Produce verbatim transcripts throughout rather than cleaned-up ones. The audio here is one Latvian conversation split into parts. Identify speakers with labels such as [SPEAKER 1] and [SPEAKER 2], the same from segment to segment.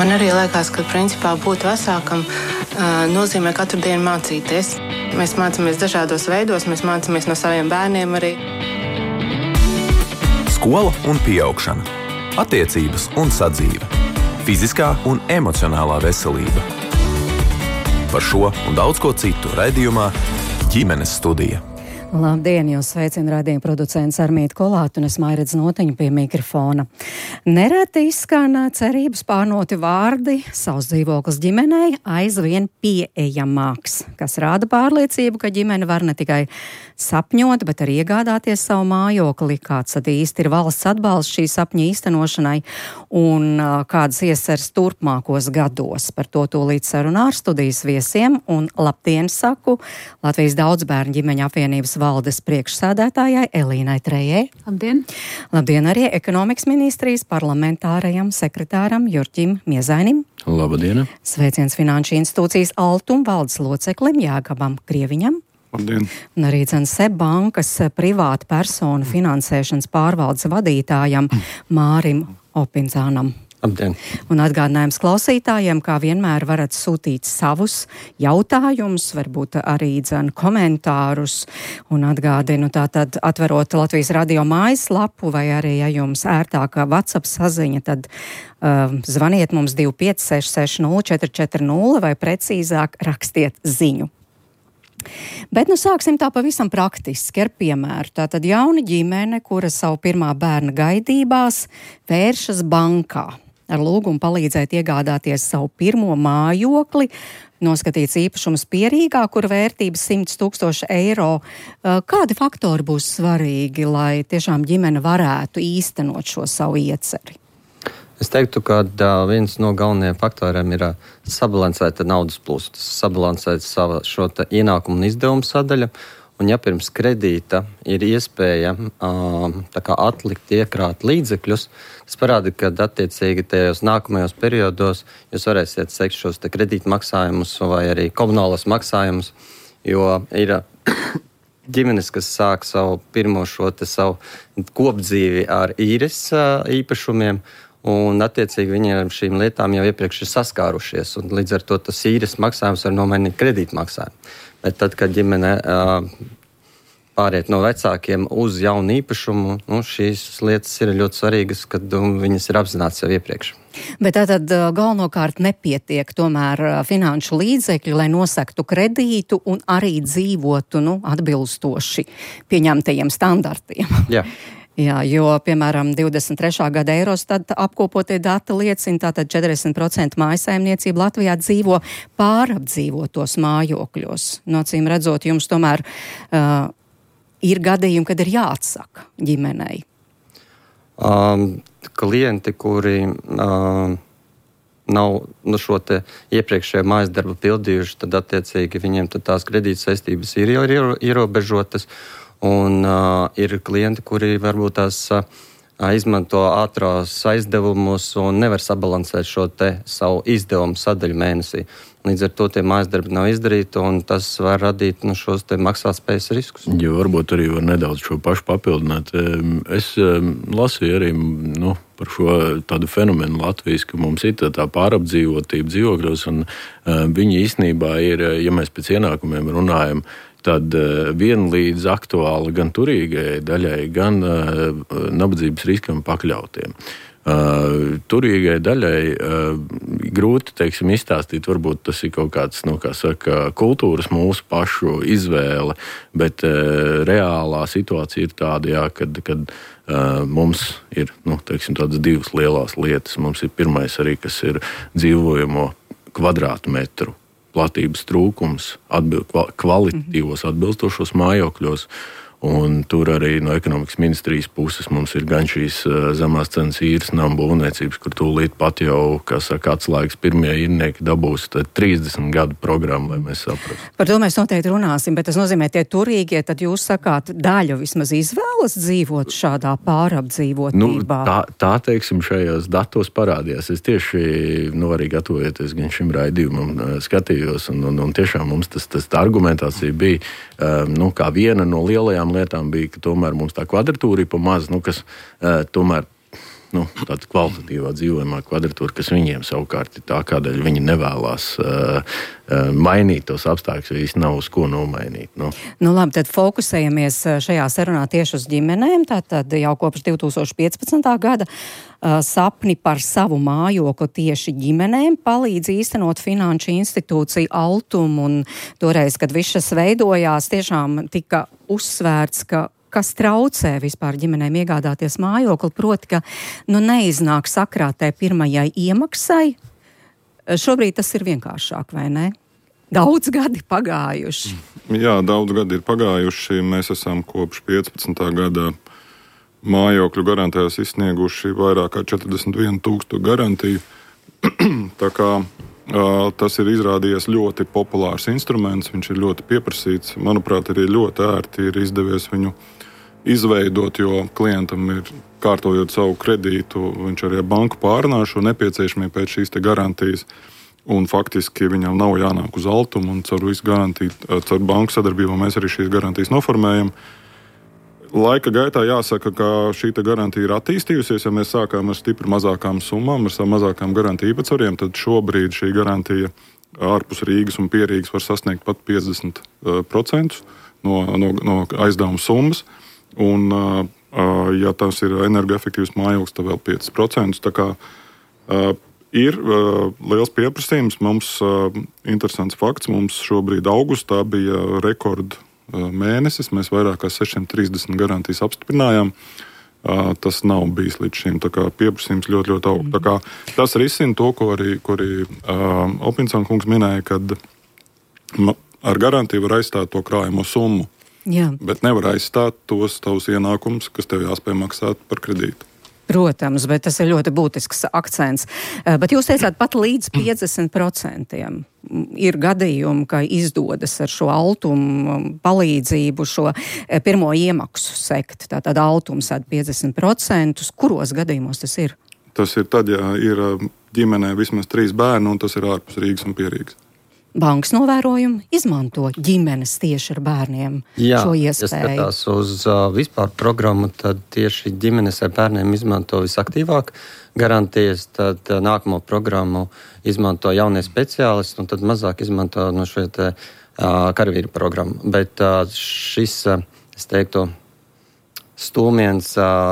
[SPEAKER 1] Man arī liekas, ka principā būt vecākam nozīmē katru dienu mācīties. Mēs mācāmies dažādos veidos, mēs mācāmies no saviem bērniem arī.
[SPEAKER 2] Skola un pieaugšana, attiecības un sadzīve, fiziskā un emocionālā veselība. Par šo un daudz ko citu raidījumā Ģimenes studija.
[SPEAKER 3] Labdien, jūs sveicina raidījuma producents Armīta Kolāte un es Mairedz Notiņu pie mikrofona. Nereti izskan cerības pārnoti vārdi savs dzīvoklis ģimenei aizvien pieejamāks, kas rāda pārliecību, ka ģimene var ne tikai sapņot, bet arī iegādāties savu mājokli, kāds tad īsti ir valsts atbalsts šī sapņa īstenošanai un kādas iesers turpmākos gados. Par to tūlīt sarunā ar studijas viesiem un labdien saku Latvijas daudzbērnu ģimeņu apvienības valdes priekšsēdētājai Elīnai Trejai.
[SPEAKER 4] Labdien!
[SPEAKER 3] Labdien arī ekonomikas ministrijas parlamentārajam sekretāram Jurķim Miezainim.
[SPEAKER 5] Labdien!
[SPEAKER 3] Sveiciens Finanšu institūcijas Altum valdes loceklim Jākabam Krieviņam.
[SPEAKER 5] Labdien!
[SPEAKER 3] Un arī Seb bankas privāta personu finansēšanas pārvaldes vadītājam Mārim Opinzānam.
[SPEAKER 5] Labdien!
[SPEAKER 3] Un atgādinājums klausītājiem, kā vienmēr varat sūtīt savus jautājumus, varbūt arī dzen komentārus. Un atgādinu tātad atverot Latvijas radio mājaslapu vai arī, ja jums ērtākā WhatsApp saziņa, tad uh, zvaniet mums divi pieci seši seši nulle četri četri nulle vai precīzāk rakstiet ziņu. Bet nu sāksim tā pavisam praktiski ar piemēru. Tātad jauna ģimene, kura savu pirmā bērna gaidībās vēršas bankā ar lūgumu palīdzēt iegādāties savu pirmo mājokli, noskatīts īpašums Pierīgā, kura vērtības simts tūkstoši eiro. Kādi faktori būs svarīgi, lai tiešām ģimene varētu īstenot šo savu ieceri?
[SPEAKER 6] Es teiktu, ka uh, viens no galvenajiem faktoriem ir uh, sabalansēta naudas plūsma, sabalansēt savu šo ienākumu un izdevumu sadaļu. Un ja pirms kredīta ir iespēja uh, tā kā atlikt, iekrāt līdzekļus, tas parāda, ka attiecīgi tajos nākamajos periodos jūs varēsiet sekt šos te kredīta maksājumus vai arī komunālos maksājumus, jo ir ģimenes, kas sāk savu pirmo šo te savu kopdzīvi ar īres uh, īpašumiem, un attiecīgi viņi ar šīm lietām jau iepriekš ir saskārušies, un līdz ar to tas īres maksājums var nomainīt kredīta maksājumu. Bet tad, kad ģimene uh, pāriet no vecākiem uz jaunu īpašumu, nu, šīs lietas ir ļoti svarīgas, kad um, viņas ir apzināts jau iepriekš.
[SPEAKER 3] Bet tātad galvenokārt nepietiek tomēr finanšu līdzekļi, lai nosaktu kredītu un arī dzīvotu, nu, atbilstoši pieņemtajiem standartiem.
[SPEAKER 6] Jā.
[SPEAKER 3] Jā, jo, piemēram, divdesmit trešā gada Eurostat apkopotie dati liecina, tātad četrdesmit procenti mājasaimniecība Latvijā dzīvo pārapdzīvotos mājokļos. No acīm redzot, jums tomēr uh, ir gadījumi, kad ir jāatsaka ģimenei.
[SPEAKER 6] Um, klienti, kuri uh, nav nu, šo te iepriekšējo mājas darbu pildījuši, tad attiecīgi viņiem tad tās kredīta saistības ir jau ierobežotas. Un uh, ir klienti, kuri varbūt tās uh, izmanto ātrās aizdevumus un nevar sabalansēt šo te savu izdevumu sadaļu mēnesī. Līdz ar to tie mājas darbi nav izdarīti, un tas var radīt nu, šos te maksātspējas riskus.
[SPEAKER 5] Jo varbūt arī var nedaudz šo pašu papildināt. Es lasīju arī nu, par šo tādu fenomenu Latvijas, ka mums ir tā, tā pārapdzīvotība dzīvokļos, un uh, viņi īstenībā ir, ja mēs pēc ienākumiem runājam, tad uh, vienlīdz aktuāli gan turīgai daļai, gan uh, nabadzības riskam pakļautiem. Uh, turīgai daļai uh, grūti, teiksim, izstāstīt, varbūt tas ir kaut kāds, nu, kā saka, kultūras mūsu pašu izvēle, bet uh, reālā situācija ir tāda, jā, kad, kad uh, mums ir, nu, teiksim, tādas divas lielās lietas. Mums ir pirmais arī, kas ir dzīvojamo kvadrātmetru platības trūkums atbil, kvalitatīvos atbilstošos mājokļos. Un tur arī no ekonomikas ministrijas puses mums ir gan šīs zemās cenas īres namu būvniecības, kur tūlīt pat jau, kā saka, atslēgas pirmie īrnieki dabūs trīsdesmit gadu programmu, lai mēs saprastu.
[SPEAKER 3] Par to mēs noteikti runāsim, bet tas nozīmē tie turīgie, tad jūs sakāt, daļu vismaz izvēlas dzīvot šādā pārapdzīvotībā.
[SPEAKER 5] Nu, tā, tā, teiksim, šajos datos parādījās. Es tieši, nu, arī gatavojoties gan šim raidījumam, skatījos, un, un, un tiešām mums tas, tas tā argumentācija bija, nu, kā viena no lielajām lietām bija, ka tomēr mums tā kvadratūra ir pa maz, nu, kas uh, tomēr nu, tāda kvalitatīvā dzīvojamā kvadratūra, kas viņiem savukārt ir tā, kādēļ viņi nevēlas uh, uh, mainīt tos apstākļus, jo īsti nav uz ko nomainīt. Nu.
[SPEAKER 3] Nu labi, tad fokusējamies šajā sarunā tieši uz ģimenēm, tātad jau kopš divi tūkstoši piecpadsmitā gada uh, sapni par savu mājokli tieši ģimenēm palīdz īstenot finanšu institūciju Altum, un toreiz, kad viss šis veidojās, tiešām tika uzsvērts, ka kas traucē vispār ģimenēm iegādāties mājokli, proti, ka nu, neiznāk sakrātē pirmajai iemaksai. Šobrīd tas ir vienkāršāk, vai ne? Daudz gadi pagājuši.
[SPEAKER 4] Jā, daudz gadi ir pagājuši. Mēs esam kopš piecpadsmitā gada mājokļu garantijās izsnieguši vairāk kā četrdesmit vienu tūkstošu garantiju. Tā kā uh, tas ir izrādījies ļoti populārs instruments, viņš ir ļoti pieprasīts. Manuprāt, arī ļoti ērti ir izdevies viņu izveidot, jo klientam ir, kārtojot savu kredītu, viņš arī banku pārunā šo nepieciešamību pēc šīs te garantijas, un faktiski viņam nav jānāk uz Altumu, un caur visu garantiju, caur banku sadarbību mēs arī šīs garantijas noformējam. Laika gaitā jāsaka, ka šī te garantija ir attīstījusies, ja mēs sākām ar stipri mazākām summām, ar savām mazākām garantiju īpatsvariem, tad šobrīd šī garantija ārpus Rīgas un pie Rīgas var sasniegt pat piecdesmit procenti no, no, no aizdevuma summas. Un, ja tas ir energoefektīvs mājoklis, tad vēl pieci procenti. Tā kā ir liels pieprasījums. Mums interesants fakts, mums šobrīd augustā bija rekord mēnesis. Mēs vairāk kā sešsimt trīsdesmit garantijas apstiprinājām. Tas nav bijis līdz šim. Tā kā pieprasījums ļoti, ļoti aug. Tā kā tas risina to, ko arī, ko arī Opinsona kungs minēja, kad ar garantiju var aizstāt to krājumu summu.
[SPEAKER 3] Jā.
[SPEAKER 4] Bet nevar aizstāt tos tavus ienākumus, kas tev jāspēj maksāt par kredītu.
[SPEAKER 3] Protams, bet tas ir ļoti būtisks akcents. Bet jūs teicāt, pat līdz piecdesmit procentiem ir gadījumi, ka izdodas ar šo Altumu palīdzību šo pirmo iemaksu sekt. Tātad Altums sēd piecdesmit procentus. Kuros gadījumos tas ir?
[SPEAKER 4] Tas ir tad, ja ir ģimenē vismaz trīs bērni, un tas ir ārpus Rīgas un pie Rīgas.
[SPEAKER 3] Bankas novērojumi izmanto ģimenes tieši ar bērniem
[SPEAKER 6] Jā,
[SPEAKER 3] šo iespēju.
[SPEAKER 6] Ja skatās uz uh, vispār programmu, tad tieši ģimenes ar bērniem izmanto visaktīvāk garantijas, tad uh, nākamo programmu izmanto jaunie speciālisti, un tad mazāk izmanto no šo te uh, karavīru programmu. Bet uh, šis, uh, es teiktu, stūmiens,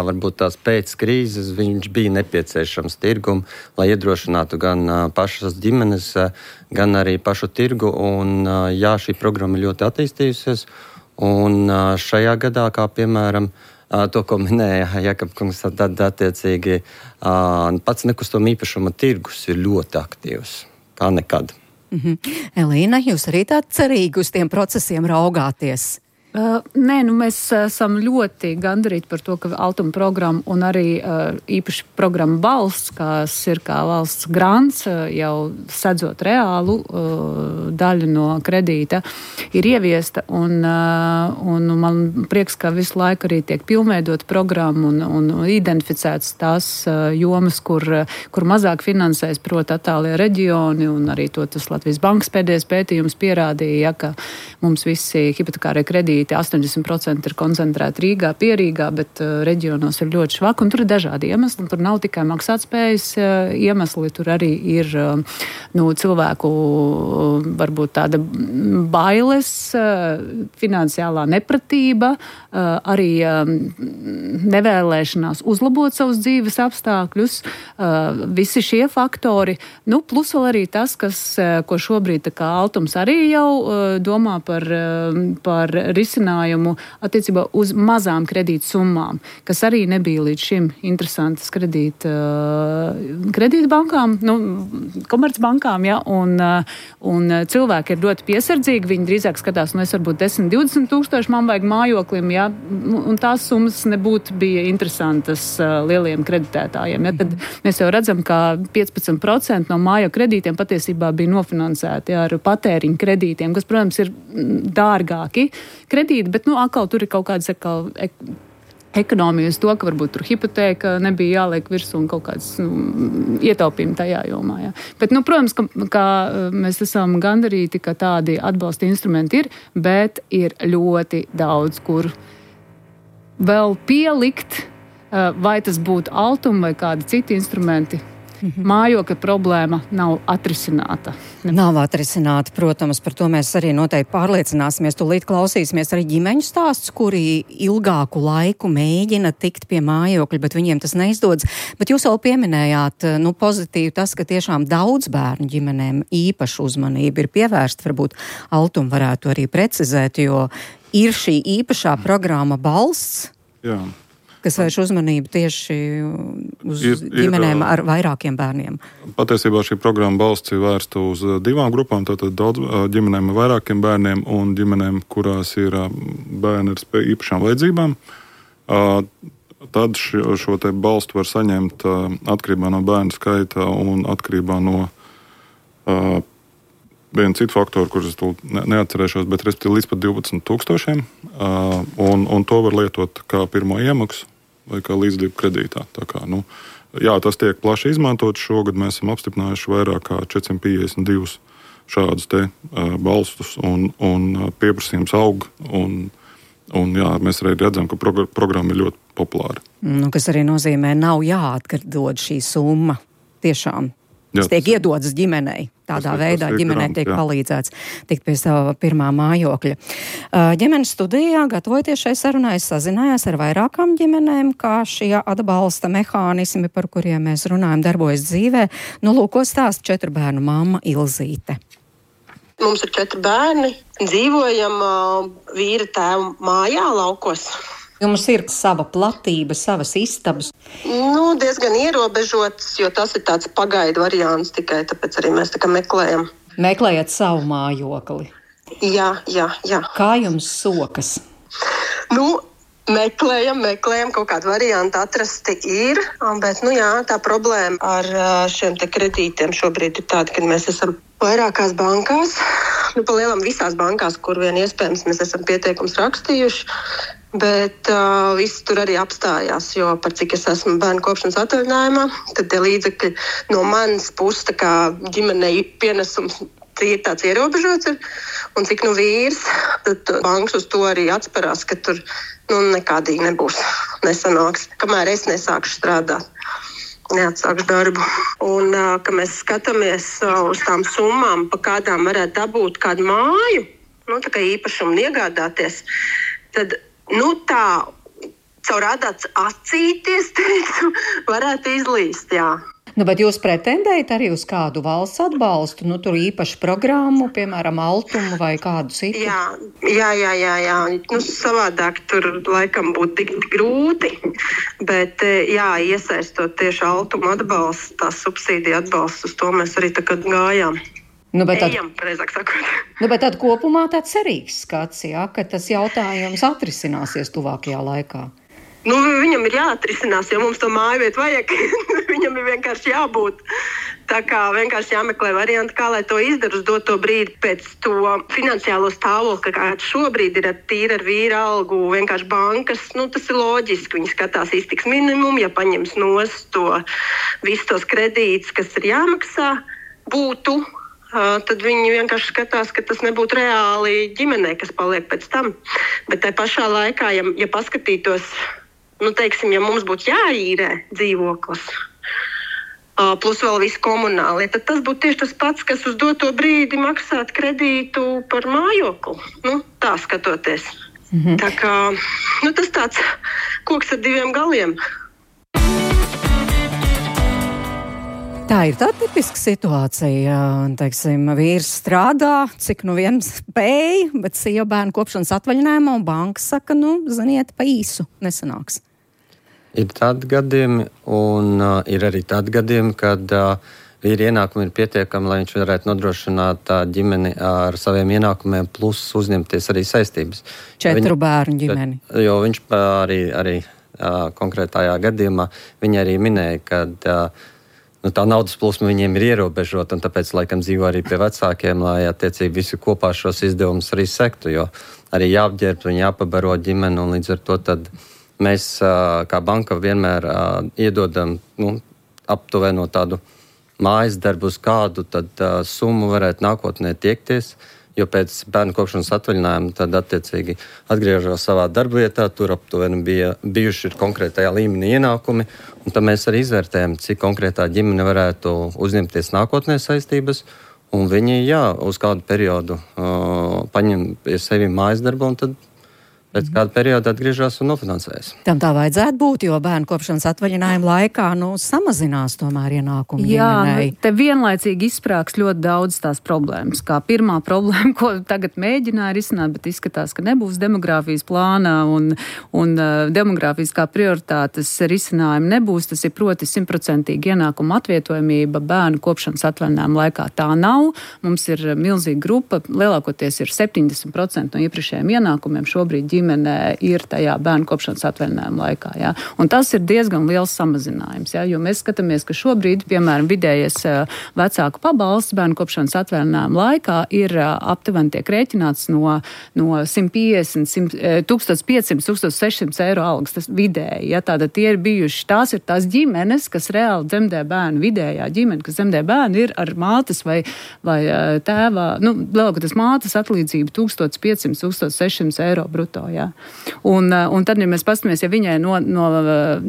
[SPEAKER 6] varbūt tās pēc krīzes, viņš bija nepieciešams tirgumu, lai iedrošinātu gan pašas ģimenes, gan arī pašu tirgu. Un, jā, šī programma ļoti attīstījusies. Un šajā gadā, kā piemēram, to, ko minēja Jakab kungs, tad attiecīgi pats nekustamo īpašuma tirgus ir ļoti aktīvs, kā nekad.
[SPEAKER 3] Mm-hmm. Elīna, jūs arī tā cerīgi uz tiem procesiem raugāties?
[SPEAKER 7] Uh, nē, nu mēs esam ļoti gandarīti par to, ka Altuma programma un arī uh, īpaši programma Balsts, kas ir kā valsts grants, uh, jau sedzot reālu uh, daļu no kredīta, ir ieviesta. Un, uh, un man prieks, ka visu laiku arī tiek pilnveidot programmu un, un identificēts tās uh, jomas, kur, kur mazāk finansēs, proti attālie reģioni, un arī to tas Latvijas Bankas pēdējais pētījums pierādīja, ja, ka mums visi hipotekārie kredīti astoņdesmit procenti ir koncentrēti Rīgā, pie Rīgā, bet uh, reģionos ir ļoti švaki, un tur ir dažādi iemesli. Tur nav tikai maksātspējas uh, iemesli, tur arī ir uh, nu, cilvēku uh, varbūt tāda bailes, uh, finansiālā nepratība, uh, arī uh, nevēlēšanās uzlabot savus dzīves apstākļus. Uh, visi šie faktori, nu, plus vēl arī tas, kas, uh, ko šobrīd tā kā Altums arī jau uh, domā par, uh, par risinājumu attiecībā uz mazām kredīta summām, kas arī nebija līdz šim interesantas kredīta, kredīta bankām, nu, komercbankām, ja, un, un cilvēki ir ļoti piesardzīgi, viņi drīzāk skatās, nu, es varbūt desmit, divdesmit tūkstoši man vajag mājoklim, ja, un tās summas nebūtu bija interesantas lieliem kreditētājiem, ja, tad mēs jau redzam, ka piecpadsmit procenti no mājo kredītiem patiesībā bija nofinansēti, ja, ar patēriņu kredītiem, kas, protams, ir dārgāki kredīti, bet, nu, atkal tur ir kaut kādas atkal ek, ekonomija uz to, ka varbūt tur hipotēka nebija jāliek virsū un kaut kāds, nu, ietaupījumi tajā jomā, jā. Bet, nu, protams, ka, ka mēs esam gandarīti, ka tādi atbalsta instrumenti ir, bet ir ļoti daudz, kur vēl pielikt vai tas būtu Altuma vai kādi citi instrumenti. Mājokļa problēma nav atrisināta.
[SPEAKER 3] Nav atrisināta, protams, par to mēs arī noteikti pārliecināsimies. Tūlīt klausīsimies arī ģimeņu stāsts, kuri ilgāku laiku mēģina tikt pie mājokļa, bet viņiem tas neizdodas. Bet jūs jau pieminējāt, nu, pozitīvi tas, ka tiešām daudz bērnu ģimenēm īpašu uzmanību ir pievērsta. Varbūt Altuma varētu arī precizēt, jo ir šī īpašā programma Balsts.
[SPEAKER 4] Jā.
[SPEAKER 3] Kas vērš uzmanību tieši uz ir, ģimenēm ir, ar vairākiem bērniem?
[SPEAKER 4] Patiesībā šī programma Balsts ir vērsta uz divām grupām, tātad daudz ģimenēm ar vairākiem bērniem un ģimenēm, kurās ir bērni ar īpašām vajadzībām. Tad šo, šo te balstu var saņemt atkarībā no bērnu skaita un atkarībā no uh, viena citu faktoru, kurus es neatcerēšos, bet respektīvi līdz pat divpadsmit tūkstošiem, uh, un, un to var lietot kā pirmo iemaksu vai kā līdzdību kredītā. Tā kā, nu, jā, tas tiek plaši izmantots. Šogad mēs esam apstiprinājuši vairāk kā četrsimt piecdesmit divus šādus te uh, balstus, un, un pieprasījums aug, un, un jā, mēs arī redzam, ka progr- programma ir ļoti populāra.
[SPEAKER 3] Nu, kas arī nozīmē, nav jāatdod šī summa tiešām. Tas jā, tiek tas iedodas ģimenei. Tādā tas, veidā tas ģimenei tiek jā. palīdzēts tikt pie sava pirmā mājokļa. Ģimenes studijā, gatavoties šai sarunai, sazinājās ar vairākām ģimenēm, kā šie atbalsta mehānismi, par kuriem mēs runājam, darbojas dzīvē. Nu, lūk, ko stāsta četru bērnu mamma Ilzīte.
[SPEAKER 8] Mums ir četri bērni. Dzīvojam vīra tēva mājā laukos.
[SPEAKER 3] Jums ir sava platība, savas istabas?
[SPEAKER 8] Nu, diezgan ierobežots, jo tas ir tāds pagaidu variants tikai, tāpēc arī mēs tā kā meklējam.
[SPEAKER 3] Meklējat savu mājokli?
[SPEAKER 8] Jā, jā, jā.
[SPEAKER 3] Kā jums sokas?
[SPEAKER 8] Nu, meklējam, meklējam, kaut kādu variantu atrasti ir, bet, nu jā, tā problēma ar šiem te kredītiem šobrīd ir tāda, ka mēs esam vairākās bankās, nu, pa lielam visās bankās, kur vien iespējams mēs esam pieteikums rakstījuši. Bet uh, viss tur arī apstājās, jo par cik es esmu bērnu kopšanas atvaļinājumā, tad tie līdzekļi no manas puses, tā kā ģimenei pienesums ir tāds ierobežots ir, un cik nu vīrs, tad bankas uz to arī atsperās, ka tur nu, nekādīgi nebūs, nesanāks, kamēr es nesākšu strādāt. Neatsākšu darbu. Un, uh, ka mēs skatāmies uh, uz tām summām, pa kādām varētu dabūt kādu māju, nu, tā kā īpašumu iegādāties, tad nu tā, caur adats acīties, teicu, varētu izlīst, jā.
[SPEAKER 3] Nu, bet jūs pretendējat arī uz kādu valsts atbalstu, nu, tur īpašu programmu, piemēram, Altumu vai kādu citu?
[SPEAKER 8] Jā, jā, jā, jā, jā. Nu, savādāk tur laikam būtu tik grūti, bet, jā, iesaistot tieši Altumu atbalstu, tās subsīdija atbalstu, uz to mēs arī tā kā gājām.
[SPEAKER 3] Nu, bet tad,
[SPEAKER 8] Ejam, preizāk sakot.
[SPEAKER 3] Nu, bet tad kopumā tāds cerīgs skats, jā, ka tas jautājums atrisināsies tuvākajā laikā.
[SPEAKER 8] Nu, viņam ir jāatrisinās, jo mums to mājvietu vajag. Viņam ir vienkārši jābūt. Tā kā vienkārši jāmeklē varianti, kā lai to izdara uz doto brīdi pēc to finansiālo stāvokli, kāds šobrīd ir ar tīri ar vīra algu, vienkārši bankas. Nu, tas ir loģiski. Viņi skatās iztiks minimumu, ja paņems nost to visus tos kredītus, kas ir jāmaksā, būtu. Uh, tad viņi vienkārši skatās, ka tas nebūtu reāli ģimenei, kas paliek pēc tam. Bet tai pašā laikā, ja, ja paskatītos, nu, teiksim, ja mums būtu jāīrē dzīvoklis, uh, plus vēl visi komunālie, tad tas būtu tieši tas pats, kas uz doto brīdi maksāt kredītu par mājokli. Nu, tā skatoties. Mm-hmm. Tā kā, nu, tas tāds koks ar diviem galiem.
[SPEAKER 3] Tā ir tā tipiska situācija, teiksim, vīrs strādā, cik nu viens spēj, bet sieva bērnu kopšanas atvaļinājumā un banka saka, nu, ziniet, pa īsu nesanāks.
[SPEAKER 6] Ir tādi gadījumi, un uh, ir arī tādi gadījumi, kad uh, vīri ienākumi ir pietiekami, lai viņš varētu nodrošināt uh, ģimeni ar saviem ienākumiem, plus uzņemties arī saistības.
[SPEAKER 3] Četru
[SPEAKER 6] Viņa,
[SPEAKER 3] bērnu ģimeni.
[SPEAKER 6] Jo viņš arī, arī uh, konkrētajā gadījumā, viņa arī minēja, kad uh, nu, tā naudas plūsma viņiem ir ierobežota, un tāpēc laikam dzīvo arī pie vecākiem, lai attiecīgi visi kopā šos izdevumus arī sektu, jo arī jāapģērb un jāpabaro ģimeni, un līdz ar to tad mēs kā banka vienmēr iedodam nu, aptuveno tādu mājas darbu, uz kādu tad summu varētu nākotnē tiekties, jo pēc bērnu kopšanas atvaļinājuma tad attiecīgi atgriežas savā darbvietā, tur aptuveni bija bijuši konkrētajā līmenī ienākumi, un tad mēs arī izvērtējam, cik konkrētā ģimene varētu uzņemties nākotnē saistības, un viņi, jā, uz kādu periodu uh, paņem pie sevi mājas darbu, un tad pēc kāda perioda atgriežas un nofinansējas.
[SPEAKER 3] Tam tā vajadzētu būt, jo bērnu kopšanas atvaļinājuma laikā nu, samazinās tomēr ienākumu ģimenei.
[SPEAKER 7] Jā, te vienlaicīgi izsprāgs ļoti daudz tās problēmas. Kā pirmā problēma, ko tagad mēģināja risināt, bet izskatās, ka nebūs demogrāfijas plānā un, un uh, demogrāfiskā prioritātes risinājuma nebūs. Tas ir proti simtprocentīgi ienākuma atvietojamība bērnu kopšanas atvaļinājuma laikā. Tā nav. Mums ir milzīga grupa, lielākoties ir septiņdesmit procenti no iepriekšējiem ienākumiem šobrīd ģimenē ir tajā bērnu kopšanas atvaļinājuma laikā. Ja? Un tas ir diezgan liels samazinājums, ja? Jo mēs skatāmies, ka šobrīd, piemēram, vidējais vecāku pabalsts bērnu kopšanas atvaļinājuma laikā ir aptuveni tiek rēķināts no, no simt piecdesmit, tūkstoš piecsimt, tūkstoš sešsimt eiro algas, tas vidēji. Ja? Tātad tie ir bijuši, tās ir tās ģimenes, kas reāli dzemdē bērnu, vidējā ģimene, kas dzemdē bērnu, ir ar mātes vai, vai tēvā, nu, lielākoties mātes atlīdzība tūkstoš piecsimt, tūkstoš sešsimt eiro bruto. Ja. Un, un tad, ja mēs paskatāmies, ja viņai no, no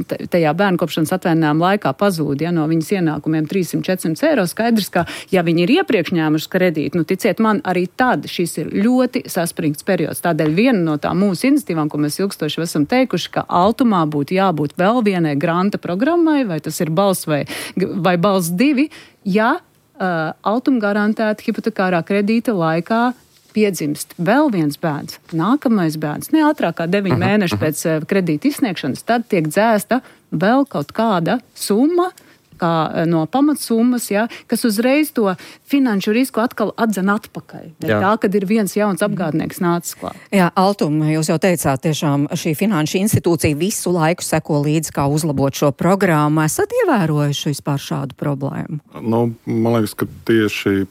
[SPEAKER 7] tajā bērnu kopšanas atvaļinājuma laikā pazūd, ja, no viņas ienākumiem trīssimt četrsimt eiro, skaidrs, ka, ja viņi ir iepriekš ņēmuši kredītu, nu, ticiet man, arī tad šis ir ļoti saspringts periods. Tādēļ viena no tā mūsu iniciatīvām, ko mēs ilgstoši esam teikuši, ka Altumā būtu jābūt vēl vienai granta programmai, vai tas ir balss vai, vai balss divi, ja uh, Altuma garantēta hipotekārā kredīta laikā piedzimst vēl viens bērns, nākamais bērns, ne ātrāk kā deviņi uh-huh, mēneši uh-huh. pēc uh, kredīta izsniegšanas, tad tiek dzēsta vēl kaut kāda summa, kā no pamatsummas, ja, kas uzreiz to finanšu risku atkal atdzen atpakaļ. Tā, kad ir viens jauns apgādnieks nācis klāt.
[SPEAKER 3] Jā, Altuma, jūs jau teicāt, tiešām šī finanšu institūcija visu laiku seko līdzi, kā uzlabot šo programmu. Esat ievērojuši vispār šādu problēmu?
[SPEAKER 4] Nu, man liekas, ka tieši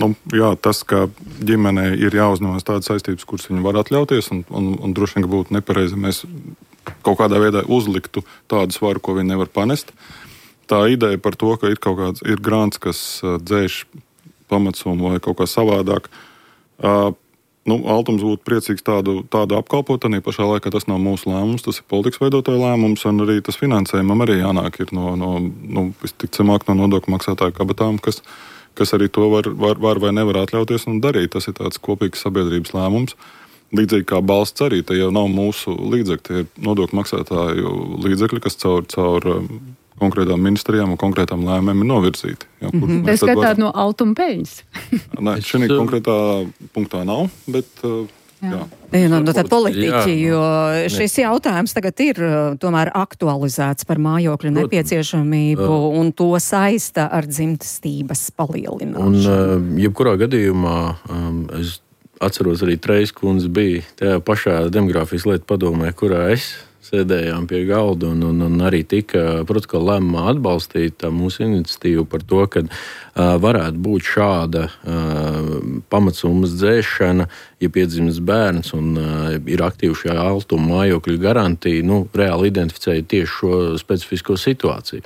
[SPEAKER 4] nu, jā, tas, ka ģimenei ir jāuzņemas tādas saistības, kuras viņi var atļauties, un, un, un droši vien, ka būtu nepareizi, mēs kaut kādā veidā uzliktu tādu svaru, ko viņi nevar panest. Tā ideja par to, ka ir kaut kāds ir grants, kas uh, dzēš pamatsumu vai kaut kā savādāk. Uh, nu, Altums būtu priecīgs tādu, tādu apkalpot, arī pašā laikā tas nav mūsu lēmums, tas ir politikas veidotāja lēmums, un arī tas finansējumam arī jānāk ir no, no nu, visticamāk no nodokļu maksātāju kabatām, kas, kas arī to var, var, var vai nevar atļauties un darīt. Tas ir tāds kopīgs sabiedrības lēmums. Līdzīgi kā balsts arī, tie jau nav mūsu līdzekļi, tie ir nodokļu maksātāju līdzekļi, kas caur, caur konkrētām ministrijām un konkrētām lēmēm ir novirzīti. Jā,
[SPEAKER 7] mm-hmm. Es skatāt var... no Altuma peļņas.
[SPEAKER 4] Nē, šī konkrētā punktā nav, bet... Jā.
[SPEAKER 3] Jā, no, no tā politiķi, jo šis jautājums tagad ir tomēr aktualizēts par mājokļu nepieciešamību un to saista ar dzimtestības palielināšanu.
[SPEAKER 5] Un jebkurā gadījumā es atceros arī Treis kundze bija tajā pašā demogrāfijas lietu padomē, kurā es sēdējām pie galda un, un, un arī tika protokola lēmumā atbalstīta mūsu iniciatīva par to, ka uh, varētu būt šāda uh, pamatsummas dzēšana, ja piedzimst bērns un uh, ir aktīva šajā Altuma mājokļu garantija, nu, reāli identificēja tieši šo specifisko situāciju.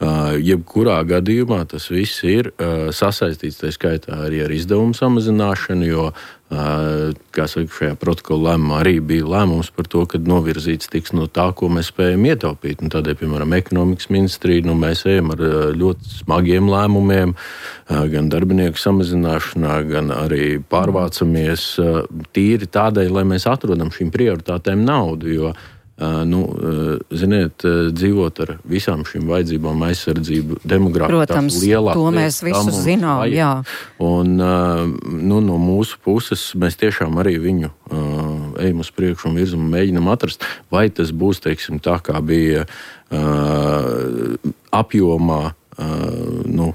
[SPEAKER 5] Uh, jebkurā gadījumā tas viss ir uh, sasaistīts, tā skaitā arī ar izdevumu samazināšanu, jo uh, kā saka, šajā protokola lēmumā arī bija lēmums par to, ka novirzīts tiks no tā, ko mēs spējam ietaupīt. Un tādēļ, piemēram, ekonomikas ministrija, nu, mēs ejam ar ļoti smagiem lēmumiem, uh, gan darbinieku samazināšanā, gan arī pārvācamies uh, tīri tādēļ, lai mēs atrodam šīm prioritātēm naudu, jo Uh, nu, uh, ziniet, uh, dzīvot ar visām šīm vajadzībām, aizsardzību, demogrāfiju.
[SPEAKER 3] Protams, to mēs visu zinām, vajag. Jā.
[SPEAKER 5] Un uh, nu, no mūsu puses mēs tiešām arī viņu uh, ejam uz priekšu un virzam un mēģinam atrast, vai tas būs, teiksim, tā kā bija uh, apjomā, Uh, nu,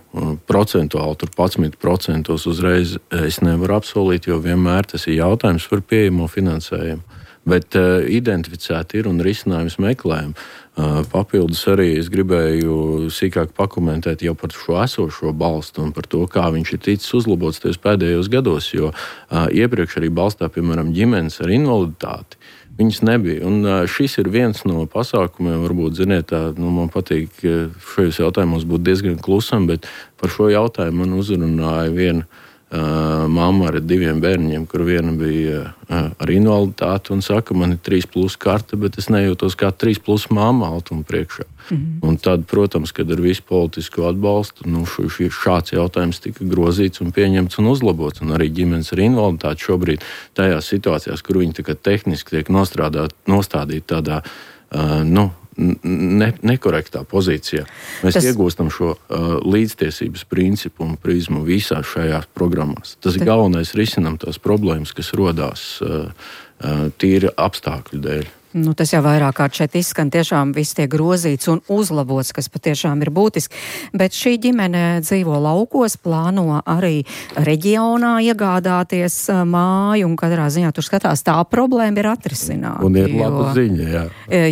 [SPEAKER 5] procentuāli, tur padsmit procentos uzreiz es nevaru apsolīt, jo vienmēr tas ir jautājums par pieejamo finansējumu. Bet uh, identificēti ir un risinājums meklējam. Uh, papildus arī es gribēju sīkāk pakomentēt jau par šo esošo balstu un par to, kā viņš ir ticis uzlabots tajos pēdējos gados, jo uh, iepriekš arī balstā, piemēram, ģimenes ar invaliditāti. Viņas nebija. Un šis ir viens no pasākumiem, varbūt, ziniet, tā, nu, man patīk šajos jautājumos būt diezgan klusam, bet par šo jautājumu man uzrunāja viena uh, mamma ar diviem bērniem, kur viena bija uh, ar invaliditāti un saka, man ir trīs plus karte, bet es nejūtos kā trīs plus mamma Altuma priekšā. Mm-hmm. Un tad, protams, kad ar visu politisko atbalstu, nu, š, šāds jautājums tika grozīts un pieņemts un uzlabots. Un arī ģimenes ar invaliditāti šobrīd tajās situācijās, kur viņi tā kā tehniski tiek nostādīti tādā, uh, nu, Ne, nekorektā pozīcijā. Mēs Tas... iegūstam šo uh, līdztiesības principu un prizmu visās šajās programmās. Tas ir galvenais risinām tās problēmas, kas rodās uh, uh, tīri apstākļu dēļ.
[SPEAKER 3] Nu, tas jau vairāk kārt šeit izskan, tiešām viss tiek grozīts un uzlabots, kas patiešām ir būtiski. Bet šī ģimene dzīvo laukos, plāno arī reģionā iegādāties māju, un katrā ziņā tur skatās, tā problēma ir atrisināta.
[SPEAKER 5] Un ir laba ziņa, jā.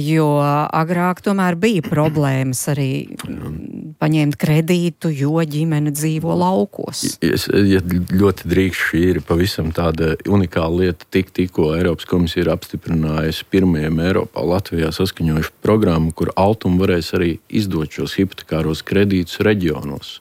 [SPEAKER 3] Jo agrāk tomēr bija problēmas arī paņemt kredītu, jo ģimene dzīvo laukos.
[SPEAKER 5] Es, ja ļoti drīkst, šī ir pavisam tāda unikāla lieta, tik tikko Eiropas komisija ir apstiprinājusi pirmajiem Eiropā, Latvijā saskaņojuši programmu, kur Altuma varēs arī izdot šos hipotekāros kredītus reģionos.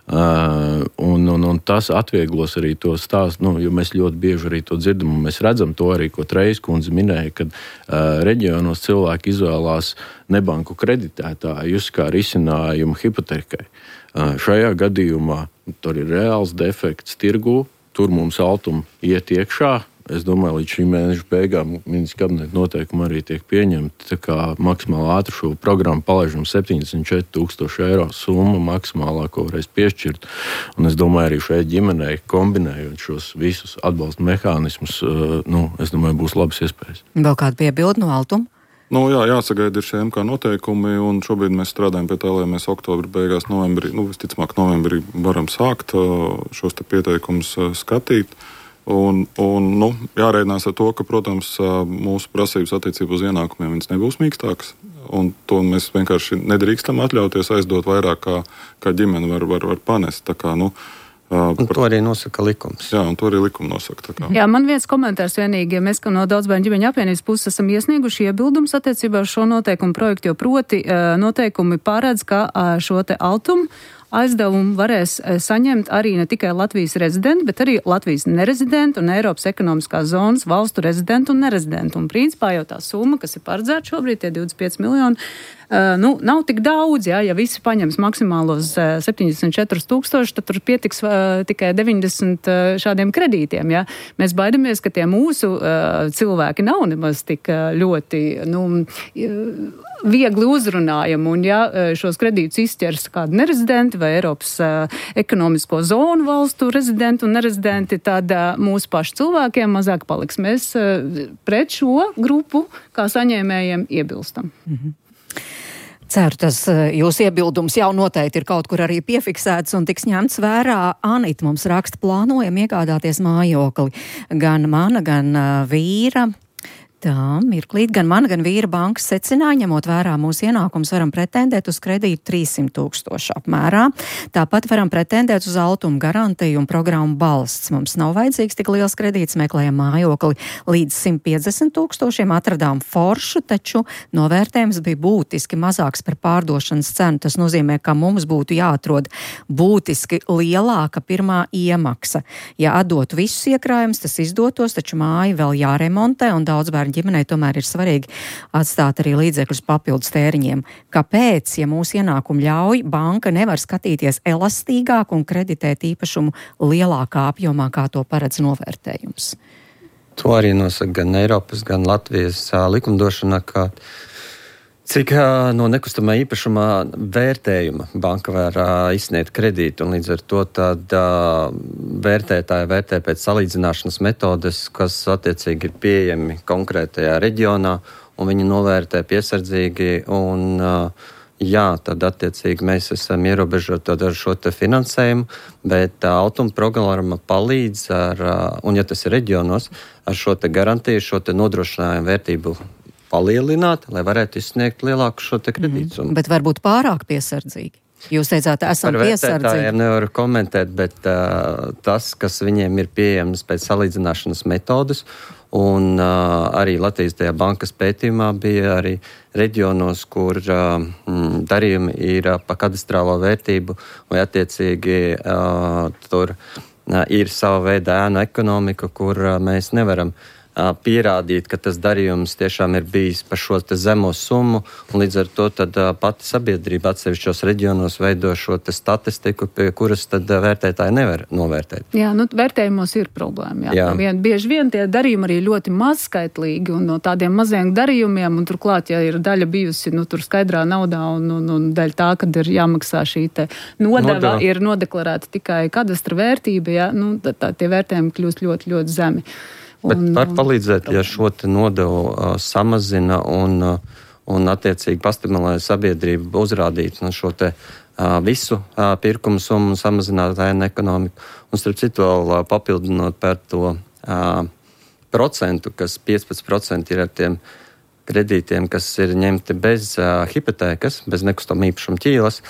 [SPEAKER 5] Uh, un, un, un tas atvieglos arī to stāstu, nu, jo mēs ļoti bieži arī to dzirdam, un mēs redzam to arī, ko Trejas kundze minēja, kad uh, reģionos cilvēki izvēlās nebanku kreditētājus kā risinājumu hipotekai. Uh, šajā gadījumā tur ir reāls defekts tirgū, tur mums Altuma iet iekšā. Es domāju, līdz šī mēneša beigām ministra kabineta noteikumi arī tiek pieņemti. Tā kā maksimāli ātri šo programmu palaižam septiņdesmit četri tūkstoši eiro summa maksimālā, ko varēs piešķirt. Un es domāju, arī šai ģimenei kombinējot šos visus atbalsta mehānismus, nu, es domāju, būs labas iespējas.
[SPEAKER 3] Vēl kāda piebilde no Altuma?
[SPEAKER 4] Nu, jā, jāsagaida ir šie M K noteikumi, un šobrīd mēs strādājam pie tā, lai mēs oktobra beigās, novembrī, nu, visticamāk, novembrī varam sākt šos te pieteikumus skatīt. Un, un nu, jārēķinās ar to, ka, protams, mūsu prasības attiecībā uz ienākumiem viņas nebūs mīkstākas. Un to mēs vienkārši nedrīkstam atļauties aizdot vairāk, kā, kā ģimene var, var, var panest. Tā kā, nu,
[SPEAKER 6] Un par... to arī nosaka likums.
[SPEAKER 4] Jā, un to arī likuma nosaka.
[SPEAKER 7] Jā, man viens komentārs vienīgi. Mēs, ka no Daudzbērnu ģimeņu apvienības puses esam iesnieguši iebildumus attiecībā uz šo noteikumu projektu, jo proti noteikumi paredz, ka šo te Altumu aizdevumu varēs saņemt arī ne tikai Latvijas rezidenti, bet arī Latvijas nerezidenti un Eiropas ekonomiskās zonas valstu rezidenti un nerezidenti. Un principā jau tā summa, kas ir paredzēta šobrīd, tie divdesmit pieci miljoni, uh, nu, nav tik daudz, jā, ja visi paņems maksimālos uh, septiņdesmit četri tūkstoši, tad tur pietiks uh, tikai deviņdesmit uh, šādiem kredītiem, jā. Mēs baidamies, ka tie mūsu uh, cilvēki nav nemaz tik uh, ļoti, nu, uh, viegli uzrunājami, un ja šos kredītus izķers kādi nerezidenti vai Eiropas uh, ekonomisko zonu valstu rezidenti un nerezidenti, tad uh, mūsu pašu cilvēkiem mazāk paliks. Mēs uh, pret šo grupu, kā saņēmējiem, iebilstam.
[SPEAKER 3] Mm-hmm. Ceru, tas jūsu iebildums jau noteikti ir kaut kur arī piefiksēts un tiks ņemts vērā. Anita mums raksta, plānojam iegādāties mājokli. Gan mana, gan uh, vīra. Tā, mirklīt, gan man, gan vīra bankas secināja, ņemot vērā mūsu ienākums, varam pretendēt uz kredītu trīssimt tūkstoši apmērā. Tāpat varam pretendēt uz Altuma garantiju un programmu balsts. Mums nav vajadzīgs tik liels kredīts, meklējam mājokli līdz simt piecdesmit tūkstošiem, atradām foršu, taču novērtējums bija būtiski mazāks par pārdošanas cenu. Tas nozīmē, ka mums būtu jāatrod būtiski lielāka pirmā iemaksa. Ja atdotu visus iekrājumus, tas izdotos, taču māja vēl jāremontē un daudz bērnu ģimenei tomēr ir svarīgi atstāt arī līdzekļus papildus tēriņiem. Kāpēc, ja mūsu ienākumu ļauj, banka nevar skatīties elastīgāk un kreditēt īpašumu lielākā apjomā, kā to paredz novērtējums?
[SPEAKER 6] To arī nosaka gan Eiropas, gan Latvijas likumdošana, ka cik no nekustamā īpašumā vērtējuma banka var izsniegt kredītu, un līdz ar to tad vērtētāji vērtē pēc salīdzināšanas metodes, kas attiecīgi ir pieejami konkrētajā reģionā, un viņi novērtē piesardzīgi, un jā, tad attiecīgi mēs esam ierobežoti ar šo te finansējumu, bet Altuma programma palīdz, ar, un ja tas ir reģionos, ar šo te garantiju, šo te nodrošinājumu vērtību palielināt, lai varētu izsniegt lielāku šo te kredītu.
[SPEAKER 3] Mm, bet varbūt pārāk piesardzīgi. Jūs teicāt, esam piesardzīgi. Par vērtētājiem
[SPEAKER 6] nevaru komentēt, bet uh, tas, kas viņiem ir pieejams pēc salīdzināšanas metodas, un uh, arī Latvijas tajā bankas pētījumā bija arī reģionos, kur uh, darījumi ir uh, pa kadastrālo vērtību, vai attiecīgi uh, tur ir sava veida ēnu ekonomika, kur mēs nevaram pierādīt, ka tas darījums tiešām ir bijis par šo te zemo summu, un līdz ar to tad pati sabiedrība atsevišķos reģionos veido šo te statistiku, pie kuras tad vērtētāji nevar novērtēt.
[SPEAKER 7] Jā, nu vērtējumos ir problēma. Jā. Jā. Vien, bieži vien tie darījumi arī ļoti mazskaitlīgi, un no tādiem maziem darījumiem, un turklāt, ja ir daļa bijusi, nu tur skaidrā naudā, un, un, un daļa tā, kad ir jāmaksā šī te nodeva, Nodeva. ir nodeklarēta tikai kadastra vērtība, jā, nu tā, tā, tie vērtējumi kļūst ļoti, ļoti zemi.
[SPEAKER 6] Bet var palīdzēt, ja šo te nodevu uh, samazina un, uh, un attiecīgi pastimulē sabiedrību uzrādīt no šo te uh, visu uh, pirkumu summu un samazināt ēnu ekonomiku. Un starp citu vēl uh, papildinot par to uh, procentu, kas piecpadsmit procenti ir ar tiem kredītiem, kas ir ņemti bez uh, hipotēkas, bez nekustamā īpašuma ķīlas,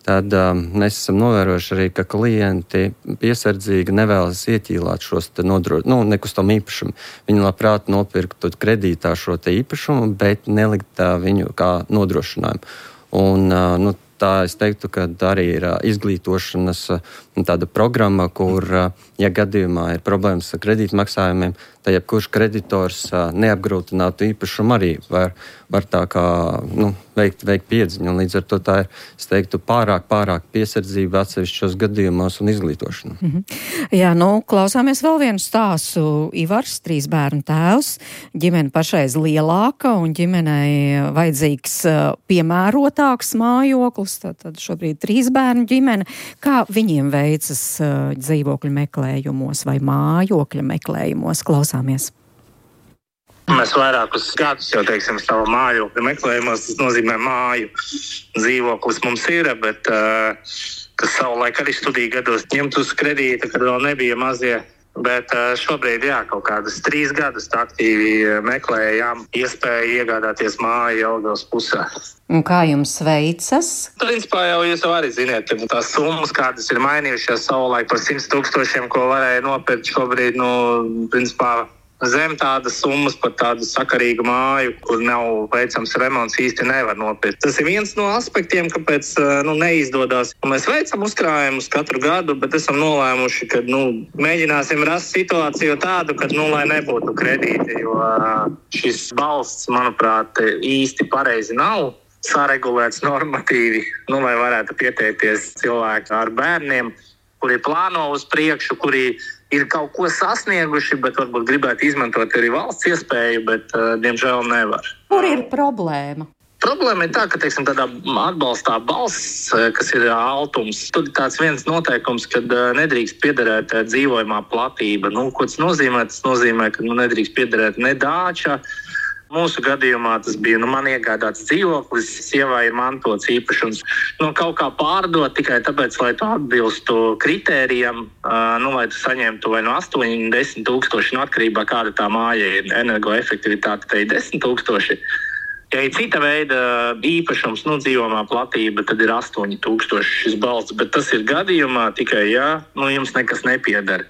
[SPEAKER 6] tad um, mēs esam novērojuši arī, ka klienti piesardzīgi nevēlas ieķīlāt šos te nodro, nu, nekustam īpašumu. Viņi labprāt nopirktu kredītā šo te īpašumu, bet nelikt uh, viņu kā nodrošinājumu. Un, uh, nu, tā es teiktu, ka arī ir uh, izglītošanas uh, tāda programma, kur, uh, ja gadījumā ir problēmas ar kredītmaksājumiem, tad jebkurš kreditors uh, neapgrūtinātu īpašumu arī var, var tā kā, nu, veikt, veikt piedziņu. Un līdz ar to tā ir, es teiktu, pārāk, pārāk piesardzība atsevišķos gadījumos un izglītošana.
[SPEAKER 3] Mm-hmm. Jā, nu, klausāmies vēl vienu stāstu. Ivars, trīs bērnu tēvs, ģimene pašreiz lielāka un ģimenei vajadzīgs piemērotāks mājoklis, tad šobrīd trīs bērnu ģimene. Kā viņiem veicas dzīvokļu meklējumos vai mājokļa meklējumos? Klausāmies.
[SPEAKER 9] Mēs vairākus gadus jau, teiksim, savu mājokļu meklējumos, tas nozīmē māju. Dzīvoklis mums ir, bet, uh, kas savulaik arī studiju gados ņemt uz kredīta, kad vēl nebija mazie. Bet uh, šobrīd, jā, kaut kādas trīs gadus aktīvi meklējām iespēju iegādāties māju Jelgavas pusē.
[SPEAKER 3] Un kā jums veicas?
[SPEAKER 9] Principā jau jūs jau arī ziniet, ka tās summas, kādas ir mainījušās savulaik par simt tūkstošiem, ko varēja nopirkt šobrīd, nu, principā, zem tādas summas par tādu sakarīgu māju, kur nav veicams remonts, īsti nevar nopirkt. Tas ir viens no aspektiem, kāpēc nu, neizdodas. Mēs veicam uzkrājumus katru gadu, bet esam nolēmuši, ka nu, mēģināsim rast situāciju tādu, ka nu, lai nebūtu kredīti, jo šis balsts, manuprāt, īsti pareizi nav saregulēts normatīvi, nu, lai varētu pieteikties cilvēki ar bērniem, kuri plāno uz priekšu, kuri ir kaut ko sasnieguši, bet varbūt gribētu izmantot arī valsts iespēju, bet, uh, diemžēl, nevar.
[SPEAKER 3] Kur ir problēma?
[SPEAKER 9] Problēma ir tā, ka, teiksim, tādā atbalstā balsts, kas ir altums, tur ir tāds viens noteikums, kad uh, nedrīkst piederēt uh, dzīvojamā platība. Nu, ko tas nozīmē? Tas nozīmē, ka nu, nedrīkst piederēt ne dāča. Mūsu gadījumā tas bija, nu, man iegādāts dzīvoklis, sievai ir mantots īpašums. Nu, kaut kā pārdot tikai tāpēc, lai tu atbilstu kritērijam, uh, nu, lai tu saņemtu vai no astoņi, desmit tūkstoši, no atkarībā kāda tā māja ir, energoefektivitāte, tai desmit tūkstoši. Ja ir cita veida īpašums, nu, dzīvojamā platība, tad ir astoņi tūkstoši šis balsts, bet tas ir gadījumā tikai, ja, nu, jums nekas nepieder.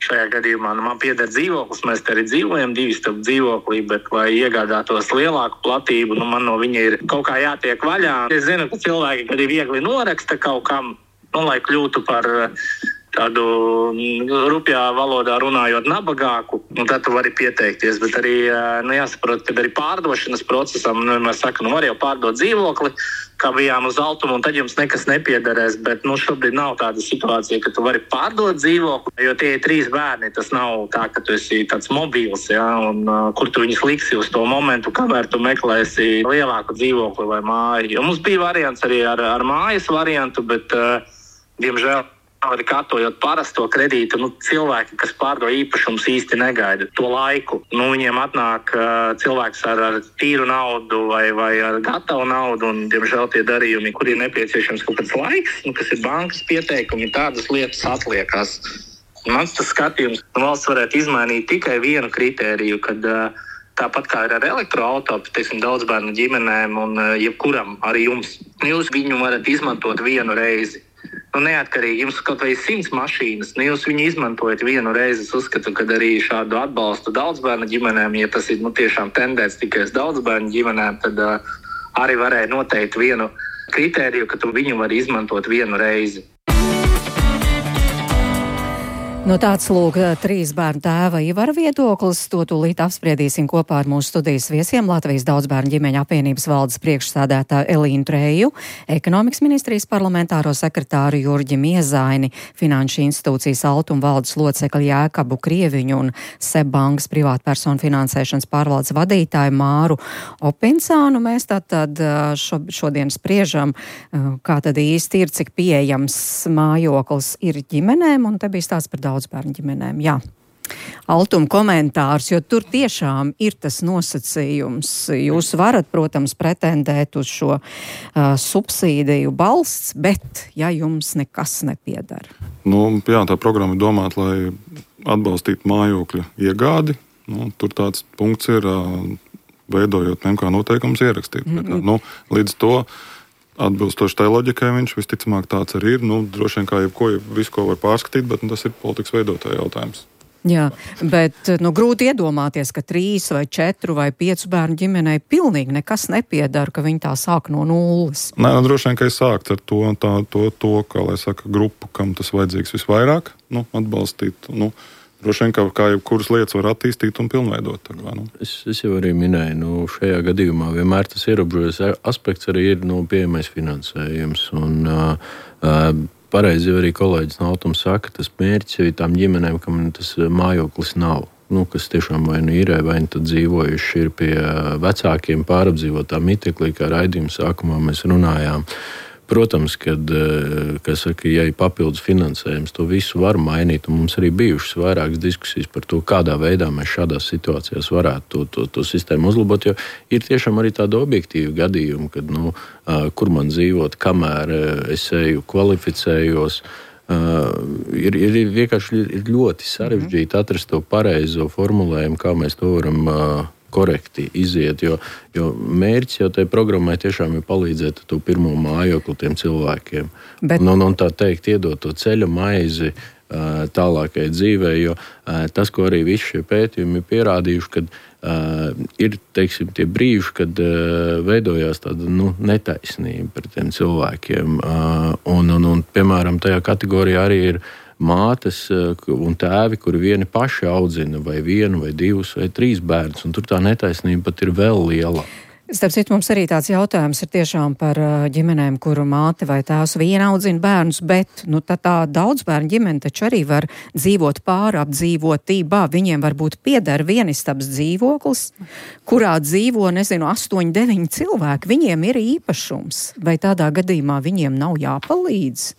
[SPEAKER 9] Šajā gadījumā nu, man pieder dzīvoklis, mēs te arī dzīvojam divi stāv dzīvoklī, bet lai iegādātos lielāku platību, nu, man no viņa ir kaut kā jātiek vaļā. Es zinu, ka cilvēki, kad ir viegli noraksta kaut kam, nu, lai kļūtu par tādu rupjā valodā runājot nabagāku, nu, tad tu vari pieteikties. Bet arī, nu, jāsaprot, ka arī pārdošanas procesam, nu, mēs sakam, nu, var jau pārdot dzīvokli, kā bijām uz altumu, un tad jums nekas nepiederēs, bet, nu, šobrīd nav tāda situācija, ka tu vari pārdot dzīvokli, jo tie ir trīs bērni, tas nav tā, ka tu esi tāds mobils, ja, un uh, kur tu viņus liksi uz to momentu, kamēr tu meklēsi lielāku dzīvokli vai māju. Jo mums bija variants arī ar, ar mājas variantu, bet, uh, diemžēl, arī kārtojot parasto kredītu, nu, cilvēki, kas pārdo īpašums, īsti negaida to laiku. Nu, viņiem atnāk uh, cilvēks ar, ar tīru naudu vai, vai ar gatavu naudu, un, diemžēl, tie darījumi, kur ir nepieciešams kaut kāds laiks, nu, kas ir bankas pieteikumi, tādas lietas atliekās. Mans tas skatījums, nu, valsts varētu izmainīt tikai vienu kritēriju, kad uh, tāpat kā ir ar elektroauto, teiksim, daudz bērnu ģimenēm un uh, jebkuram, arī jums, jūs viņu varat izmantot vienu reizi. Nu, neatkarīgi, jums kaut vai simts mašīnas, nu, jūs viņu izmantojat vienu reizi. Es uzskatu, ka arī šādu atbalstu daudzbērnu ģimenēm, ja tas ir nu, tiešām tendēts tikai uz daudzbērnu ģimenēm, tad uh, arī varēja noteikt vienu kritēriju, ka tu viņu vari izmantot vienu reizi.
[SPEAKER 3] Nu, tāds lūk trīs bērnu tēva Ivara viedoklis. To tūlīt apspriedīsim kopā ar mūsu studijas viesiem Latvijas daudzbērnu ģimeņu apvienības valdes priekšsēdētāju Elīnu Treju, ekonomikas ministrijas parlamentāro sekretāru Jurģi Miezaini, Finanšu institūcijas Altuma valdes locekli Jēkabu Krieviņu un Seb bankas privātpersonu finansēšanas pārvaldes vadītāju Māru Opincānu. Mēs tātad šo, šodien spriežam, kā tad īsti ir, cik pieejams mājoklis ir ģimenēm, un te bija stāsts par daudz bērnu ģimenēm. Jā. Altuma komentārs, jo tur tiešām ir tas nosacījums. Jūs varat, protams, pretendēt uz šo uh, subsīdiju balsts, bet ja jums nekas nepiedara.
[SPEAKER 4] Nu, jā, tā programma ir domāta, lai atbalstītu mājokļa iegādi. Nu, tur tāds punkts ir, uh, veidojot M K noteikumus ierakstīt. Mm-hmm. Nu, līdz to atbilstoši tai loģikai viņš visticamāk tāds arī ir. Nu, droši vien kā jebko, visu, ko var pārskatīt, bet nu, tas ir politikas veidotāja jautājums.
[SPEAKER 3] Jā, bet nu, grūti iedomāties, ka trīs vai četru vai piecu bērnu ģimenei pilnīgi nekas nepiedara, ka viņi tā sāk no nulles.
[SPEAKER 4] Nē, nu, droši vien, ka es sāktu ar to, tā, to, to, kā lai saka, grupu, kam tas vajadzīgs visvairāk, nu, atbalstīt, nu, droši vien, kā, kā jebkuras lietas var attīstīt un pilnveidot. Tā kā, nu.
[SPEAKER 5] es, es jau arī minēju, nu, šajā gadījumā vienmēr tas ierobežojas aspekts arī ir nu, pieejamais finansējums. Un, uh, uh, pareizi jau arī kolēģis no Altuma saka, tas mērķis jau ir tām ģimenēm, kam tas mājoklis nav. Nu, kas tiešām vai nu ir, vai nu tad dzīvojuši ir pie vecākiem pārapdzīvotā miteklī, kā raidījuma sākumā mēs runājām. Protams, kad, kas saka, ja ir papildus finansējums, to visu var mainīt, un mums arī bijušas vairākas diskusijas par to, kādā veidā mēs šādās situācijās varētu to, to, to sistēmu uzlabot, jo ir tiešām arī tāda objektīva gadījuma, kad, nu, kur man dzīvot, kamēr es eju, kvalificējos, ir, ir vienkārši ir ļoti sarežģīti atrast to pareizo formulējumu, kā mēs to varam korekti iziet, jo, jo mērķis jau tai programmai tiešām ir palīdzēt to pirmo mājokli tiem cilvēkiem. Bet... Un, un tā teikt, iedot to ceļa maizi uh, tālākai dzīvē, jo uh, tas, ko arī visi šie pētījumi ir pierādījuši, kad uh, ir, teiksim, tie brīži, kad uh, veidojās tāda, nu, netaisnība par tiem cilvēkiem. Uh, un, un, un, piemēram, tajā kategorijā arī ir mātes un tēvi, kuri vieni paši audzina vai vienu, vai divus, vai trīs bērnus, un tur tā netaisnība pat ir vēl liela.
[SPEAKER 3] Starp citu, mums arī tāds jautājums ir tiešām par ģimenēm, kuru māte vai tēvs viena audzina bērnus, bet nu, tā, tā daudz bērnu ģimene taču arī var dzīvot pārapdzīvotībā. Viņiem varbūt pieder vienistabas dzīvoklis, kurā dzīvo, nezinu, astoņi, deviņi cilvēki. Viņiem ir īpašums. Vai tādā gadījumā viņiem nav jāpalīdz?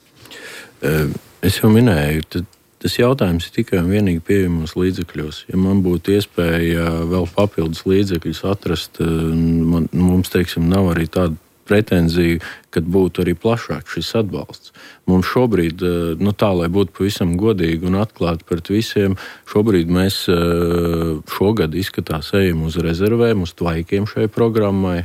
[SPEAKER 5] Uh. Es jau minēju, tad tas jautājums ir tikai un vienīgi pieejamos līdzekļos. Ja man būtu iespēja vēl papildus līdzekļus atrast, man, mums, teiksim, nav arī tāda pretenzija, kad būtu arī plašāk šis atbalsts. Mums šobrīd, nu tā, lai būtu pavisam godīgi un atklāti pret visiem, šobrīd mēs šogad izskatās ejam uz rezervēm, uz tvaikiem šai programmai.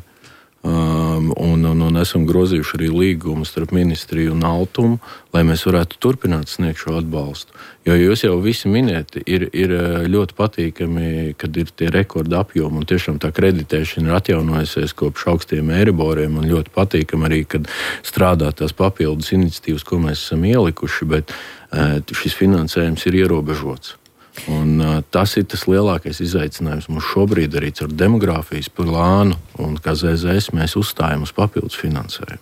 [SPEAKER 5] Um, un, un, un esam grozījuši arī līgumu starp ministriju un Altumu, lai mēs varētu turpināt sniegt šo atbalstu. Jo jūs jau visi miniet, ir, ir ļoti patīkami, kad ir tie rekorda apjomi, un tiešām tā kreditēšana ir atjaunojusies kopš augstiem eiriboriem, un ļoti patīkami arī, kad strādā tās papildus iniciatīvas, ko mēs esam ielikuši, bet uh, šis finansējums ir ierobežots. Un, uh, tas ir tas lielākais izaicinājums mums šobrīd arī ar demogrāfijas plānu, un kā Z Z S mēs uzstājam uz papildus finansējumu.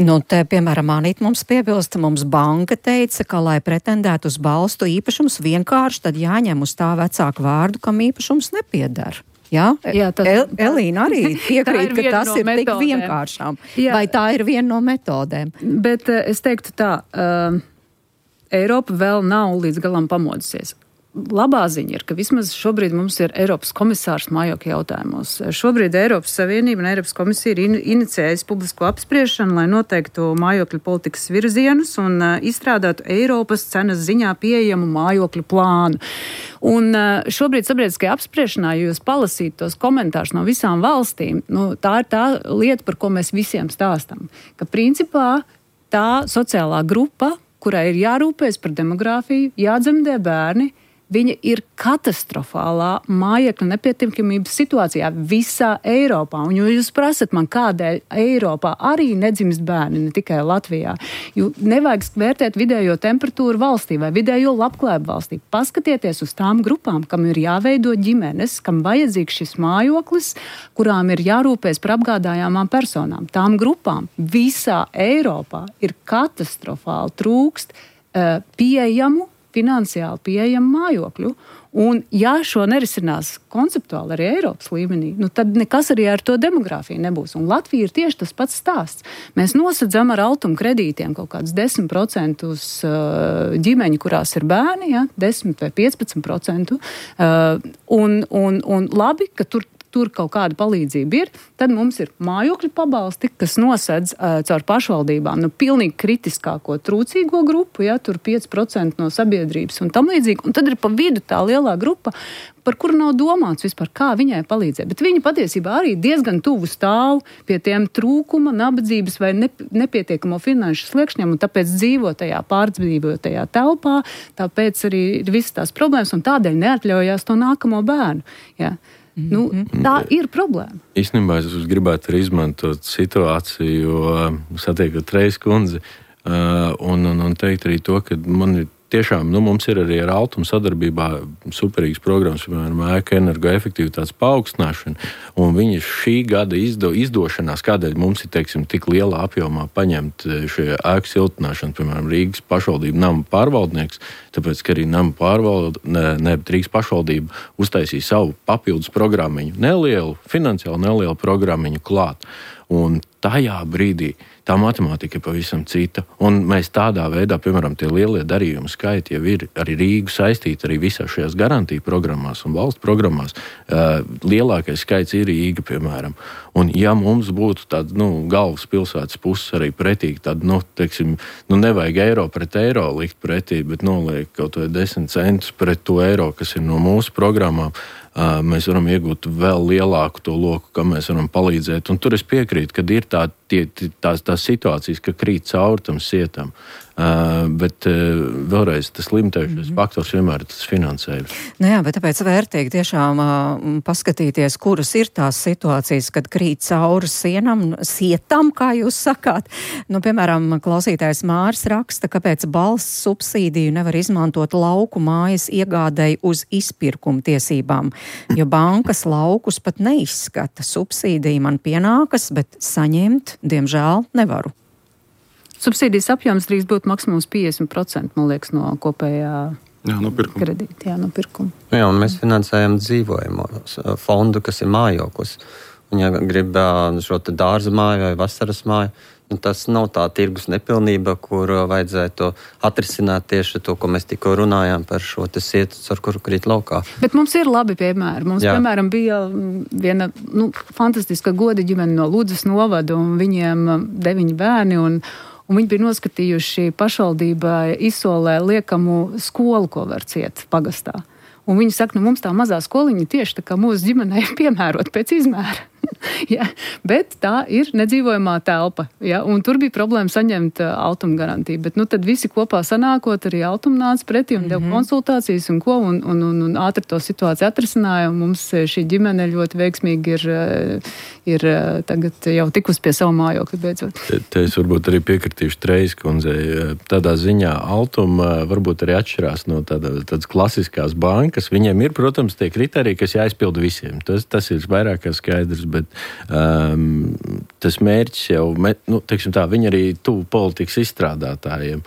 [SPEAKER 3] Nu, te, piemēram, Anita mums piebilsta, mums banka teica, ka, lai pretendētu uz balstu īpašums vienkārši, tad jāņem uz tā vecāku vārdu, kam īpašums nepiedara. Jā, Jā tas, El, Elīna arī piekrīt, ka tas no ir metodēm. Tik vienkāršām. Jā. Vai tā ir viena no metodēm?
[SPEAKER 7] Bet uh, es teiktu tā, uh, Eiropa vēl nav līdz galam pamodusies. Labā ziņa ir, ka vismaz šobrīd mums ir Eiropas komisārs mājokļu jautājumos. Šobrīd Eiropas Savienība un Eiropas komisija ir in, inicējusi publisko apspriešanu, lai noteiktu mājokļu politikas virzienus un uh, izstrādātu Eiropas cenas ziņā pieejamu mājokļu plānu. Un uh, šobrīd sabiedriskajā apspriešanā, ja jūs palasītu tos komentārus no visām valstīm, nu, tā ir tā lieta, par ko mēs visiem stāstam. Ka principā tā sociālā grupa, kurai ir jārūpējas par demogrāfiju, jādzemdē bērni, viņa ir katastrofālā mājokļu nepietiekamības situācijā visā Eiropā. Un jo jūs prasat man, kādēļ Eiropā arī nedzimst bērni, ne tikai Latvijā, jo nevajag vērtēt vidējo temperatūru valstī vai vidējo labklājību valstī. Paskatieties uz tām grupām, kam ir jāveido ģimenes, kam vajadzīgs šis mājoklis, kurām ir jārūpēs par apgādājāmām personām. Tām grupām visā Eiropā ir katastrofāli trūkst uh, pieejamu, finansiāli pieejamu mājokļu. Un, ja šo nerisinās konceptuāli arī Eiropas līmenī, nu, tad nekas arī ar to demogrāfiju nebūs. Un Latvija ir tieši tas pats stāsts. Mēs nosedzam ar altuma kredītiem kaut kādus desmit procentus uh, ģimeņu, kurās ir bērni, ja, desmit vai piecpadsmit procentu. Uh, un, un, un labi, ka tur tur kaut kāda palīdzība ir, tad mums ir mājokļu pabalsti, kas nosedz uh, caur pašvaldībām, nu, pilnīgi kritiskāko trūcīgo grupu, ja, tur pieci procenti no sabiedrības un tam līdzīgi, un tad ir pa vidu tā lielā grupa, par kuru nav domāts vispār, kā viņai palīdzēt. Bet viņi patiesībā arī diezgan tuvu stāv pie tiem trūkuma, nabadzības vai nepietiekamo finanšu sliekšņiem, un tāpēc dzīvo tajā pārdzīvotajā telpā, tāpēc arī ir visas tās problēmas, un tādēļ neatļaujās to nākamo bērnu. Ja. Nu, tā ir problēma.
[SPEAKER 5] Īstenībā es gribētu arī izmantot situāciju, jo satiekot Reizes kundzi un, un, un teikt arī to, ka man ir tiešām, nu, mums ir arī ar Altumu sadarbībā superīgas programmas, piemēram, ēku energoefektivitātes paaugstināšana, un viņi šī gada izdo, izdošanās, kādēļ mums ir, teiksim, tik lielā apjomā paņemt šie ēku siltināšanu, piemēram, Rīgas pašvaldība nama pārvaldnieks, tāpēc, ka arī nama pārvalde, ne, ne, Rīgas pašvaldība uztaisīja savu papildus programmiņu, nelielu, finansiāli nelielu programmiņu klāt. Un tajā brīdī tā matemātika ir pavisam cita. Un mēs tādā veidā, piemēram, tie lielie darījumi skaiti jau ir arī Rīgu saistīti arī visās šajās garantiju programmās un valsts programmās. Uh, lielākais skaits ir Rīga, piemēram. Un ja mums būtu tāda, nu, galvas pilsētas puses arī pretī, tad, nu, teiksim, nu, nevajag eiro pret eiro likt pretī, bet noliek kaut vai desmit centus pret to eiro, kas ir no mūsu programmām. Uh, mēs varam iegūt vēl lielāku to loku, kā mēs varam palīdzēt. Un tur es piekrītu, ka ir tā, tie, tās, tās situācijas, ka krīt cauri tam sietam. Uh, bet uh, vēlreiz tas limitējušais mm-hmm. faktors vienmēr ir tas finansējums.
[SPEAKER 3] Nu jā, bet tāpēc vērtīgi tiešām uh, paskatīties, kuras ir tās situācijas, kad krīt cauri sienam, sietam, kā jūs sakāt. Nu, piemēram, klausītājs Māris raksta, kāpēc balsts subsīdiju nevar izmantot lauku mājas iegādēji uz izpirkuma tiesībām, jo bankas laukus pat neizskata. Subsīdija man pienākas, bet saņemt, diemžēl, nevaru.
[SPEAKER 7] Subsīdijas apjoms drīkst būt maksimums piecdesmit procenti, man liekas, no kopējā
[SPEAKER 4] jā, no pirkuma.
[SPEAKER 7] kredīta. Jā, no pirkuma.
[SPEAKER 6] Jā, un mēs finansējam dzīvojumu fondu, kas ir mājoklis. Un ja grib šo te dārza māju vai vasaras māju, nu, tas nav tā tirgus nepilnība, kur vajadzētu atrisināt tieši to, ko mēs tikko runājām par šo te sietu, ar kuru krīt laukā.
[SPEAKER 7] Bet mums ir labi piemēri. Mums, jā. piemēram, bija viena, nu, fantastiska goda ģimene no Ludzas novada, un viņiem deviņi bērni, un Un viņi bija noskatījuši pašvaldībā izsolē liekamu skolu, ko var ciet pagastā. Un viņi saka, nu mums tā mazā skoliņa tieši tā kā mūsu ģimenei piemērot pēc izmēra. ja, bet tā ir nedzīvojamā telpa. Ja, un tur bija problēma saņemt uh, altuma garantiju. Bet nu, tad visi kopā sanākot, arī altuma nāca pretī un mm-hmm. deva konsultācijas un ko, un, un, un, un ātri to situāciju atrisināja. Un mums šī ģimene ļoti veiksmīgi ir, ir tagad jau tikus pie savu mājokļu beidzot.
[SPEAKER 5] Te, te es varbūt arī piekritīšu Reizes kundzei. Tādā ziņā altuma varbūt arī atšķirās no tāda, tādas klasiskās bankas. Viņiem ir, protams, tie kriteriji, kas jāizpilda visiem. Tas, tas ir vairāk kā skaidrs, bet um, tas mērķis jau, nu, teiksim tā, viņi arī tuvu politikas izstrādātājiem.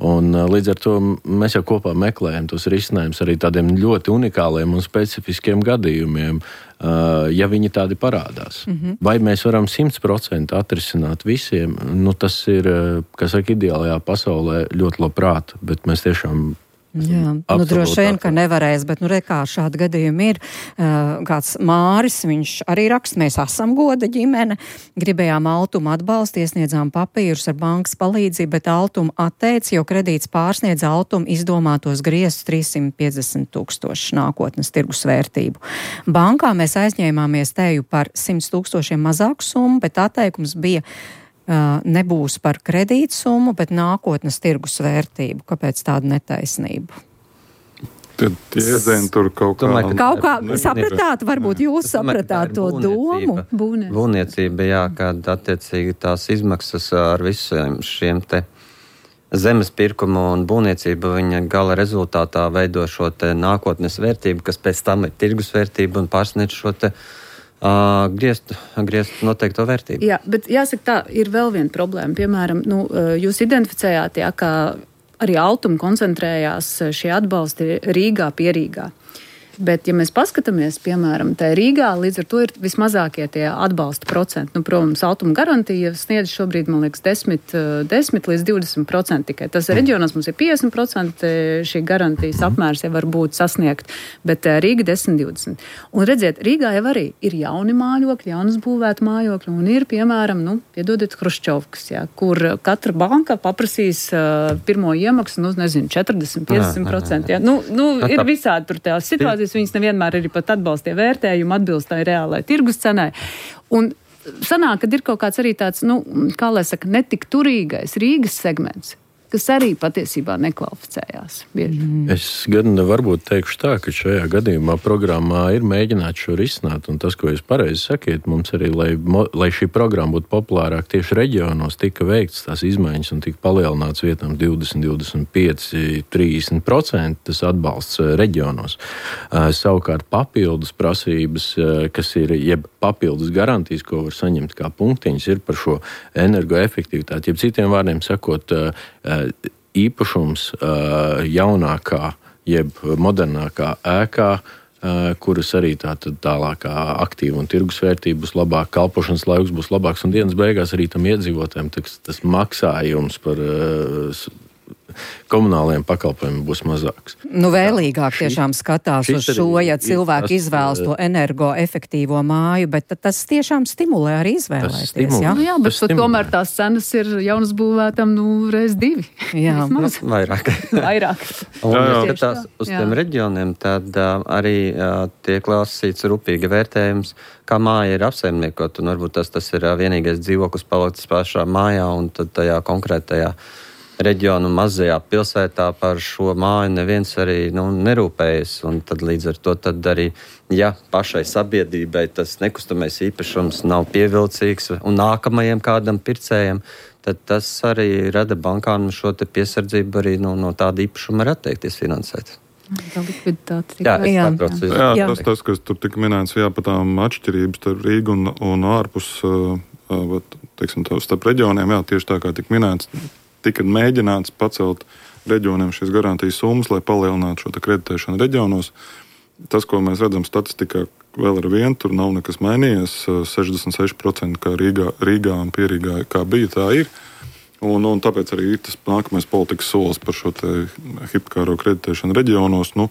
[SPEAKER 5] Un līdz ar to mēs jau kopā meklējam tos risinājumus arī tādiem ļoti unikāliem un specifiskiem gadījumiem, uh, ja viņi tādi parādās. Mm-hmm. Vai mēs varam simt procenti atrisināt visiem? Nu, tas ir, kā saka, ideālajā pasaulē ļoti labprāt, bet mēs tiešām
[SPEAKER 3] Jā, nu droši vien, ka nevarēs, bet nu re kā šādi gadījumi ir. Uh, kāds Māris, viņš arī raksta, mēs esam goda ģimene, gribējām Altumu atbalstu, iesniedzām papīrus ar bankas palīdzību, bet Altumu atteica, jo kredīts pārsniedz Altumu izdomātos griestus trīssimt piecdesmit tūkstoši nākotnes tirgus vērtību. Bankā mēs aizņēmāmies teju par simt tūkstošiem mazāku summu, bet atteikums bija Uh, nebūs par kredītsummu, bet nākotnes tirgus vērtību. Kāpēc tāda netaisnība?
[SPEAKER 4] Tie iezīmi tur kaut kā.
[SPEAKER 3] Domāju, kaut kā sapratāt, varbūt jūs sapratāt to domu.
[SPEAKER 6] Būvniecība, būvniecība jā, kad attiecīgi tās izmaksas ar visiem šiem te zemes pirkumu un būvniecību, viņa gala rezultātā veido šo te nākotnes vērtību, kas pēc tam ir tirgus vērtība un pārsniedz šo te uh, griezt, griezt noteikto vērtību.
[SPEAKER 7] Jā, bet jāsaka tā, ir vēl viena problēma. Piemēram, nu, jūs identificējāt, jā, kā arī Altuma koncentrējās šie atbalsti Rīgā, Pierīgā. Bet, ja mēs paskatāmies, piemēram, tā Rīgā, līdz ar to ir vismazākie tie atbalsta procenti. Nu, protams, Altuma garantija sniedz šobrīd, man liekas, desmit līdz divdesmit procenti tikai. Tas reģionos mums ir piecdesmit procenti šī garantijas apmērs, ja var būt sasniegt, bet Rīga desmit līdz divdesmit. Un redziet, Rīgā jau arī ir jauni mājokļi, jaunas būvēti mājokļi, un ir, piemēram, nu, piedodiet, Hruščovkas, jā, kur katra banka paprasīs uh, pirmo iemaksu, nu, nezinu, četrdesmit līdz piecdesmit procenti. Jā. Nu, nu, ir visādi tur tās situācijas. Viņas nevienmēr arī pat atbalstie vērtējumu, atbilst tai reālai tirgus cenai. Un sanāk, kad ir kaut kāds arī tāds, nu, kā lai saka, netik turīgais Rīgas segments, kas arī patiesībā nekvalificējās bieži.
[SPEAKER 5] Mm. Es gan varbūt teikšu tā, ka šajā gadījumā programmā ir mēģināt šo risināt, un tas, ko jūs pareizi sakiet, mums arī, lai, lai šī programma būtu populārāk tieši reģionos, tika veikts tās izmaiņas un tika palielināts vietām divdesmit, divdesmit pieci, trīsdesmit procenti tas atbalsts reģionos. Savukārt papildus prasības, kas ir, jeb papildus garantijas, ko var saņemt kā punktiņas, ir par šo energoefektivitāti. Jeb citiem vārdiem sakot, īpašums jaunākā, jeb modernākā ēkā, kuras arī tātad tālākā aktīva un tirgus vērtība būs labāk, kalpošanas laiks būs labāks un dienas beigās arī tam iedzīvotājiem tas, tas maksājums par komunālajiem pakalpojumiem būs mazāks.
[SPEAKER 3] Nu, vēlīgāk tiešām skatās uz šo, ja cilvēki izvēlas to energoefektīvo māju, bet tas tiešām stimulē arī izvēlēties.
[SPEAKER 7] Stimulē. Jā, nu, jā, bet tomēr tās cenas ir jaunas būvētam, nu, reiz divi.
[SPEAKER 3] Jā,
[SPEAKER 6] vairāk.
[SPEAKER 7] Vairāk.
[SPEAKER 6] Un, ja skatās uz jā. Tiem reģioniem, tad uh, arī uh, tiek lasīts rūpīgi vērtējums, kā māja ir apsaimniekot, un varbūt tas, tas ir uh, vienīgais dzīvoklis palikts pašā mājā, un tad tajā konkrētajā reģionu mazajā pilsētā par šo māju neviens arī nu, nerūpējas. Un tad līdz ar to tad arī, ja pašai sabiedrībai tas nekustamais īpašums nav pievilcīgs un nākamajiem kādam pircējiem, tad tas arī rada bankām šo te piesardzību arī no, no tāda īpašuma var atteikties finansēt.
[SPEAKER 7] Jā,
[SPEAKER 6] jā.
[SPEAKER 4] jā, jā. Tas, tas, kas tur tika minēts, jā, par tām atšķirības starp Rīgu un, un ārpus, uh, teiksim, tā, starp reģioniem, jā, tieši tā kā tika minēts, tika mēģināts pacelt reģioniem šīs garantijas summas, lai palielinātu šo kreditēšanu reģionos. Tas, ko mēs redzam statistikā, vēl ar vienu, tur nav nekas mainījies. sešdesmit seši procenti kā Rīgā, Rīgā un Pierīgā, kā bija, tā ir. Un, un tāpēc arī tas nākamais politikas solis par šo hipotekāro kreditēšanu reģionos, nu,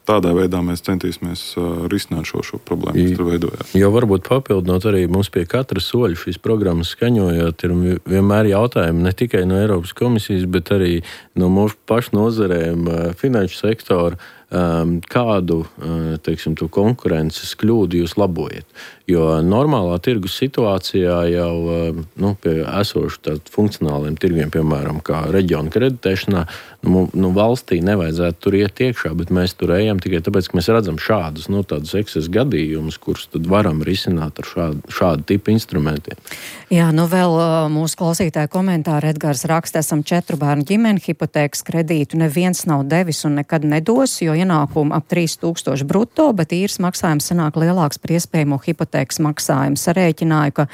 [SPEAKER 4] tādā veidā mēs centīsimies uh, risināt šo, šo problēmu, kas tur veidojās.
[SPEAKER 5] Jo varbūt papildinot arī mums pie katra soļa šīs programmas skaņojot, ir vienmēr jautājumi ne tikai no Eiropas komisijas, bet arī no mūsu pašu nozarēm, uh, finanšu sektora, um, kādu, uh, teiksim, to konkurences kļūdu jūs labojat. Jo normālā tirgus situācijā jau uh, nu, pie esošu tādu funkcionāliem tirgiem, piemēram, kā reģiona kreditēšanā, nu, nu, valstī nevajadzētu tur iet iekšā, bet mēs tur ejam tikai tāpēc, ka mēs redzam šādus, nu, tādus ekses gadījumus, kurus tad varam risināt ar šādu, šādu tipu instrumentiem.
[SPEAKER 3] Jā, nu vēl mūsu klausītāja komentāri Edgars raksta, esam četru bērnu ģimeni, hipotēkas kredītu neviens nav devis un nekad nedos, jo ienākumu ap trīs tūkstoši brutto, bet īres maksājums sanāk lielāks par iespējamo hipotēkas maksājumu. Sarēķināju, ka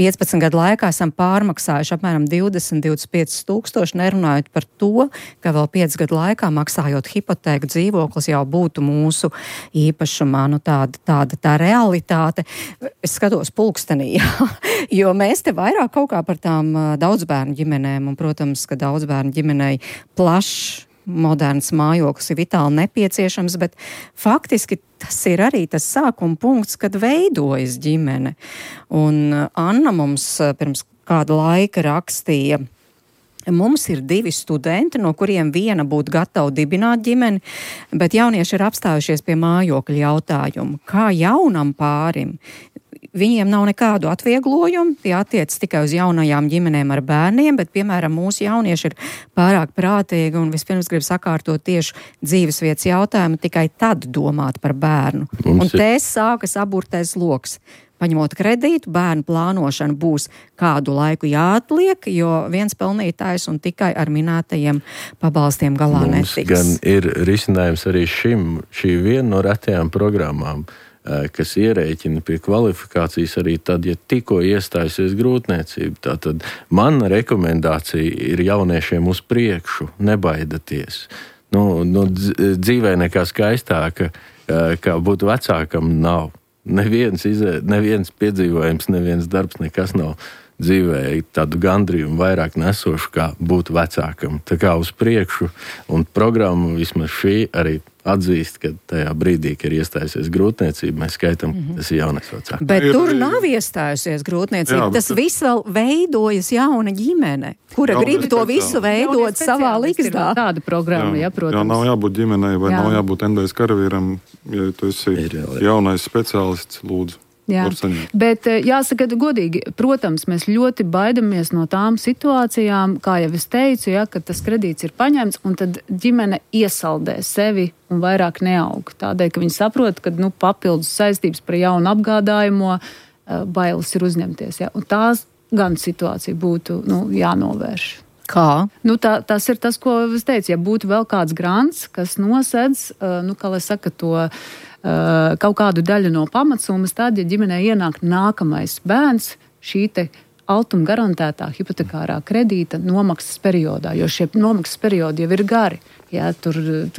[SPEAKER 3] piecpadsmit gadu laikā esam pārmaksājuši apmēram divdesmit līdz divdesmit pieci tūkstoši, nerunājot par to, ka vēl piecu gadu laikā maksājot hipotēku dzīvoklis jau būtu mūsu īpašumā. Nu, tāda, tāda tā realitāte. Es skatos pulkstenī, jo mēs te vairāk kaut kā par tām daudzbērnu ģimenēm, un, protams, ka daudzbērnu ģimenei plašs moderns mājoklis ir vitāli nepieciešams, bet faktiski tas ir arī tas sākuma punkts, kad veidojas ģimene. Un Anna mums pirms kāda laika rakstīja, mums ir divi studenti, no kuriem viena būtu gatava dibināt ģimeni, bet jaunieši ir apstājušies pie mājokļa jautājumu. Kā jaunam pārim viņiem nav nekādu atvieglojumu, tie attiec tikai uz jaunajām ģimenēm ar bērniem, bet, piemēram, mūsu jaunieši ir pārāk prātīgi un vispirms grib sakārtot tieši dzīvesvietas jautājumu, tikai tad domāt par bērnu. Mums un te sākas aburtais loks. Paņemot kredītu, bērnu plānošana būs kādu laiku jāatliek, jo viens pelnītājs un tikai ar minētajiem pabalstiem galā
[SPEAKER 5] Mums
[SPEAKER 3] netiks.
[SPEAKER 5] Gan ir risinājums arī šim, šī viena no retajām programmām, kas ierēķina pie kvalifikācijas arī tad, ja tikko iestājusies grūtniecība. Tātad mana rekomendācija ir jauniešiem uz priekšu, nebaidaties. Nu, nu, dzīvē nekā skaistāka, kā būtu vecākam, nav. Neviens, izē, neviens piedzīvojums, neviens darbs, nekas nav dzīvē tādu gandrījumu vairāk nesošu, kā būt vecākam. Tā kā uz priekšu, un programma vismaz šī arī atzīst, ka tajā brīdī, kad ir iestājusies grūtniecība, mēs skaitam, mm-hmm. tas ir jaunais vecāks.
[SPEAKER 3] Bet ir, tur nav iestājusies grūtniecība, jā, tas bet... viss vēl veidojas jauna ģimene, kura jā, grib to visu veidot savā likstā.
[SPEAKER 7] Tāda programma, jā, jā, protams.
[SPEAKER 4] Jā, nav jābūt ģimenei vai jā. nav jābūt endais karavīram, ja tu esi ir, jā, jā. jaunais speciālists, lūdzu.
[SPEAKER 7] Jā, bet jāsaka godīgi, protams, mēs ļoti baidamies no tām situācijām, kā jau es teicu, ja, ka tas kredīts ir paņemts un tad ģimene iesaldē sevi un vairāk neaug. Tādēļ, ka viņi saprot, ka nu, papildus saistības par jaunu apgādājumu bailes ir uzņemties. Ja, un tās gan situācija būtu nu, jānovērš.
[SPEAKER 3] Kā?
[SPEAKER 7] Nu, tā, tas ir tas, ko es teicu. Ja būtu vēl kāds grants, kas nosedz, nu, kā lai saka, to uh, kaut kādu daļu no pamatsummas, tad, ja ģimenē ienāk nākamais bērns, šī te altuma garantētā hipotekārā kredīta nomaksas periodā, jo šie nomaksas periodi jau ir gari. Jā, tur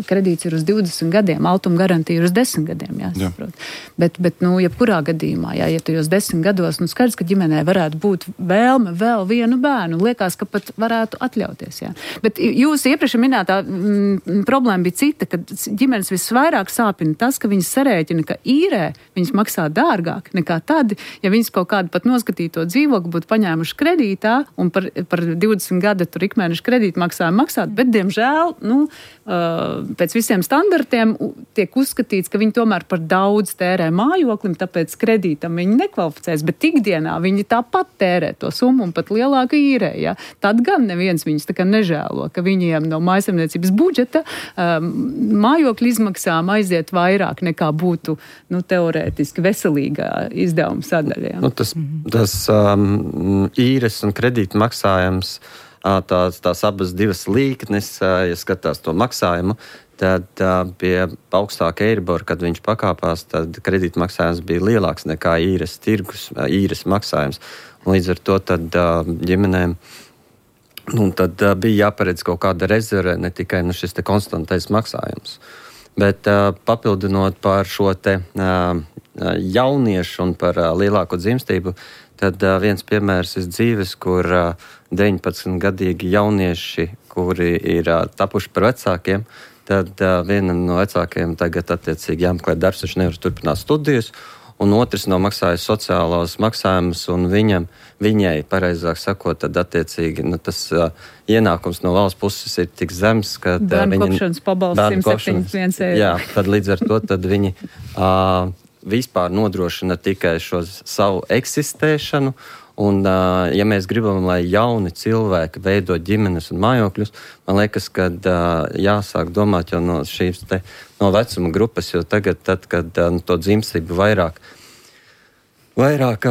[SPEAKER 7] kredīts ir uz divdesmit gadiem, altuma garantija ir uz desmit gadiem, jāsaprot. Jā. Bet, bet, nu, jebkurā gadījumā, jā, ja tu jau desmit gados, nu, skaidrs, ka ģimenē varētu būt vēlme vēl vienu bērnu, liekas, ka pat varētu atļauties, jā. Bet jūs iepriekš minētā mm, problēma bija cita, ka ģimenes visvairāk sāpina tas, ka viņas sarēķina, ka īrē viņas maksā dārgāk nekā tad, ja viņas kaut kādu pat noskatīto dzīvokli būtu paņēmuši kredītā un par, par divdesmit gada tur ikmēnešu kredītu maksājumu maksāt, bet, diemžēl, nu, pēc visiem standartiem tiek uzskatīts, ka viņi tomēr par daudz tērē mājoklim, tāpēc kredītam viņi nekvalificēs, bet ikdienā viņi tāpat tērē to summu un pat lielāku īrē. Ja? Tad gan neviens viņus tā kā nežēlo, ka viņiem no mājasemniecības budžeta um, mājokļu izmaksām aiziet vairāk nekā būtu nu, teorētiski veselīgā izdevuma sadaļa. Ja?
[SPEAKER 6] Nu, tas tas um, īres un kredīta maksājums Tās, tās abas divas līknes, ja skatās to maksājumu, tad pie augstāka Eiribora, kad viņš pakāpās, tad kredīta maksājums bija lielāks nekā īres tirgus, īres maksājums. Un līdz ar to tad ģimenēm nu, tad bija jāparedz kaut kāda rezerve, ne tikai nu, šis te konstantais maksājums. Bet papildinot par šo te jauniešu un par lielāko dzimstību, tad uh, viens piemērs ir dzīves, kur uh, deviņpadsmitgadīgi jaunieši, kuri ir uh, tapuši par vecākiem, tad uh, vienam no vecākiem tagad attiecīgi jāmeklē darbs, viņš nevar turpināt studijas, un otrs nomaksājas sociālos maksājumus, un viņam, viņai, pareizāk sakot, tad attiecīgi nu, tas uh, ienākums no valsts puses ir tik zems, ka uh,
[SPEAKER 7] bērnu kopšanas pabalsts simt septiņdesmit viens eiro.
[SPEAKER 6] Jā, tad līdz ar to tad viņi uh, vispār nodrošina tikai šo savu eksistēšanu, un, ja mēs gribam, lai jauni cilvēki veido ģimenes un mājokļus, man liekas, ka jāsāk domāt jau no šīs te, no vecuma grupas, jo tagad, tad, kad to dzimstību vairāk Vairāk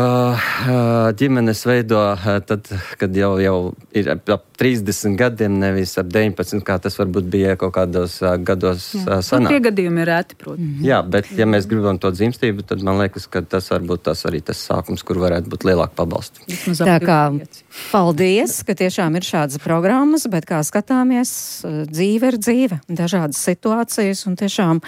[SPEAKER 6] ģimenes veido, tad, kad jau, jau ir ap trīsdesmit gadiem, nevis ap deviņpadsmit, kā tas varbūt bija kaut kādos gados sanāk.
[SPEAKER 7] Tie gadījumi ir reti, protams.
[SPEAKER 6] Jā, bet ja mēs gribam to dzimstību, tad man liekas, ka tas varbūt tas arī tas sākums, kur varētu būt lielāka pabalsta.
[SPEAKER 3] Tā kā paldies, ka tiešām ir šādas programmas, bet kā skatāmies, dzīve ir dzīve, dažādas situācijas, un tiešām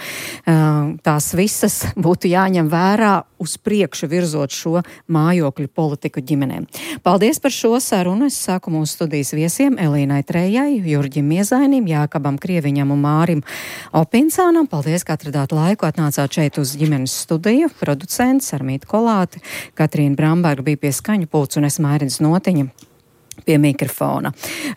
[SPEAKER 3] tās visas būtu jāņem vērā uz priekšu virzot šo mājokļu politiku ģimenēm. Paldies par šo sarunu. Es saku mūsu studijas viesiem Elīnai Trējai, Jurģim Miezainim, Jākabam Krieviņam un Mārim Opincānam. Paldies, ka atradāt laiku, atnācāt šeit uz ģimenes studiju. Producents Armīta Kolāte, Katrīna Bramberga bija pie skaņu pults un es Mairis Notiņa. pie mikrofona.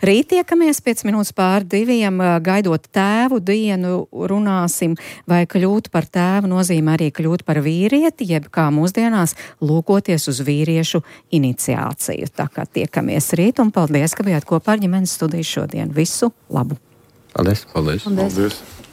[SPEAKER 3] Rīt tiekamies pēc minūtes pār diviem, gaidot tēvu dienu, runāsim, vai kļūt par tēvu nozīmē arī kļūt par vīrieti, jeb kā mūsdienās lūkoties uz vīriešu iniciāciju. Tā kā tiekamies rīt, un paldies, ka bijāt kopā ar ģimenes studiju šodien. Visu labu!
[SPEAKER 6] Paldies!
[SPEAKER 5] Paldies!
[SPEAKER 7] Paldies.
[SPEAKER 4] Paldies.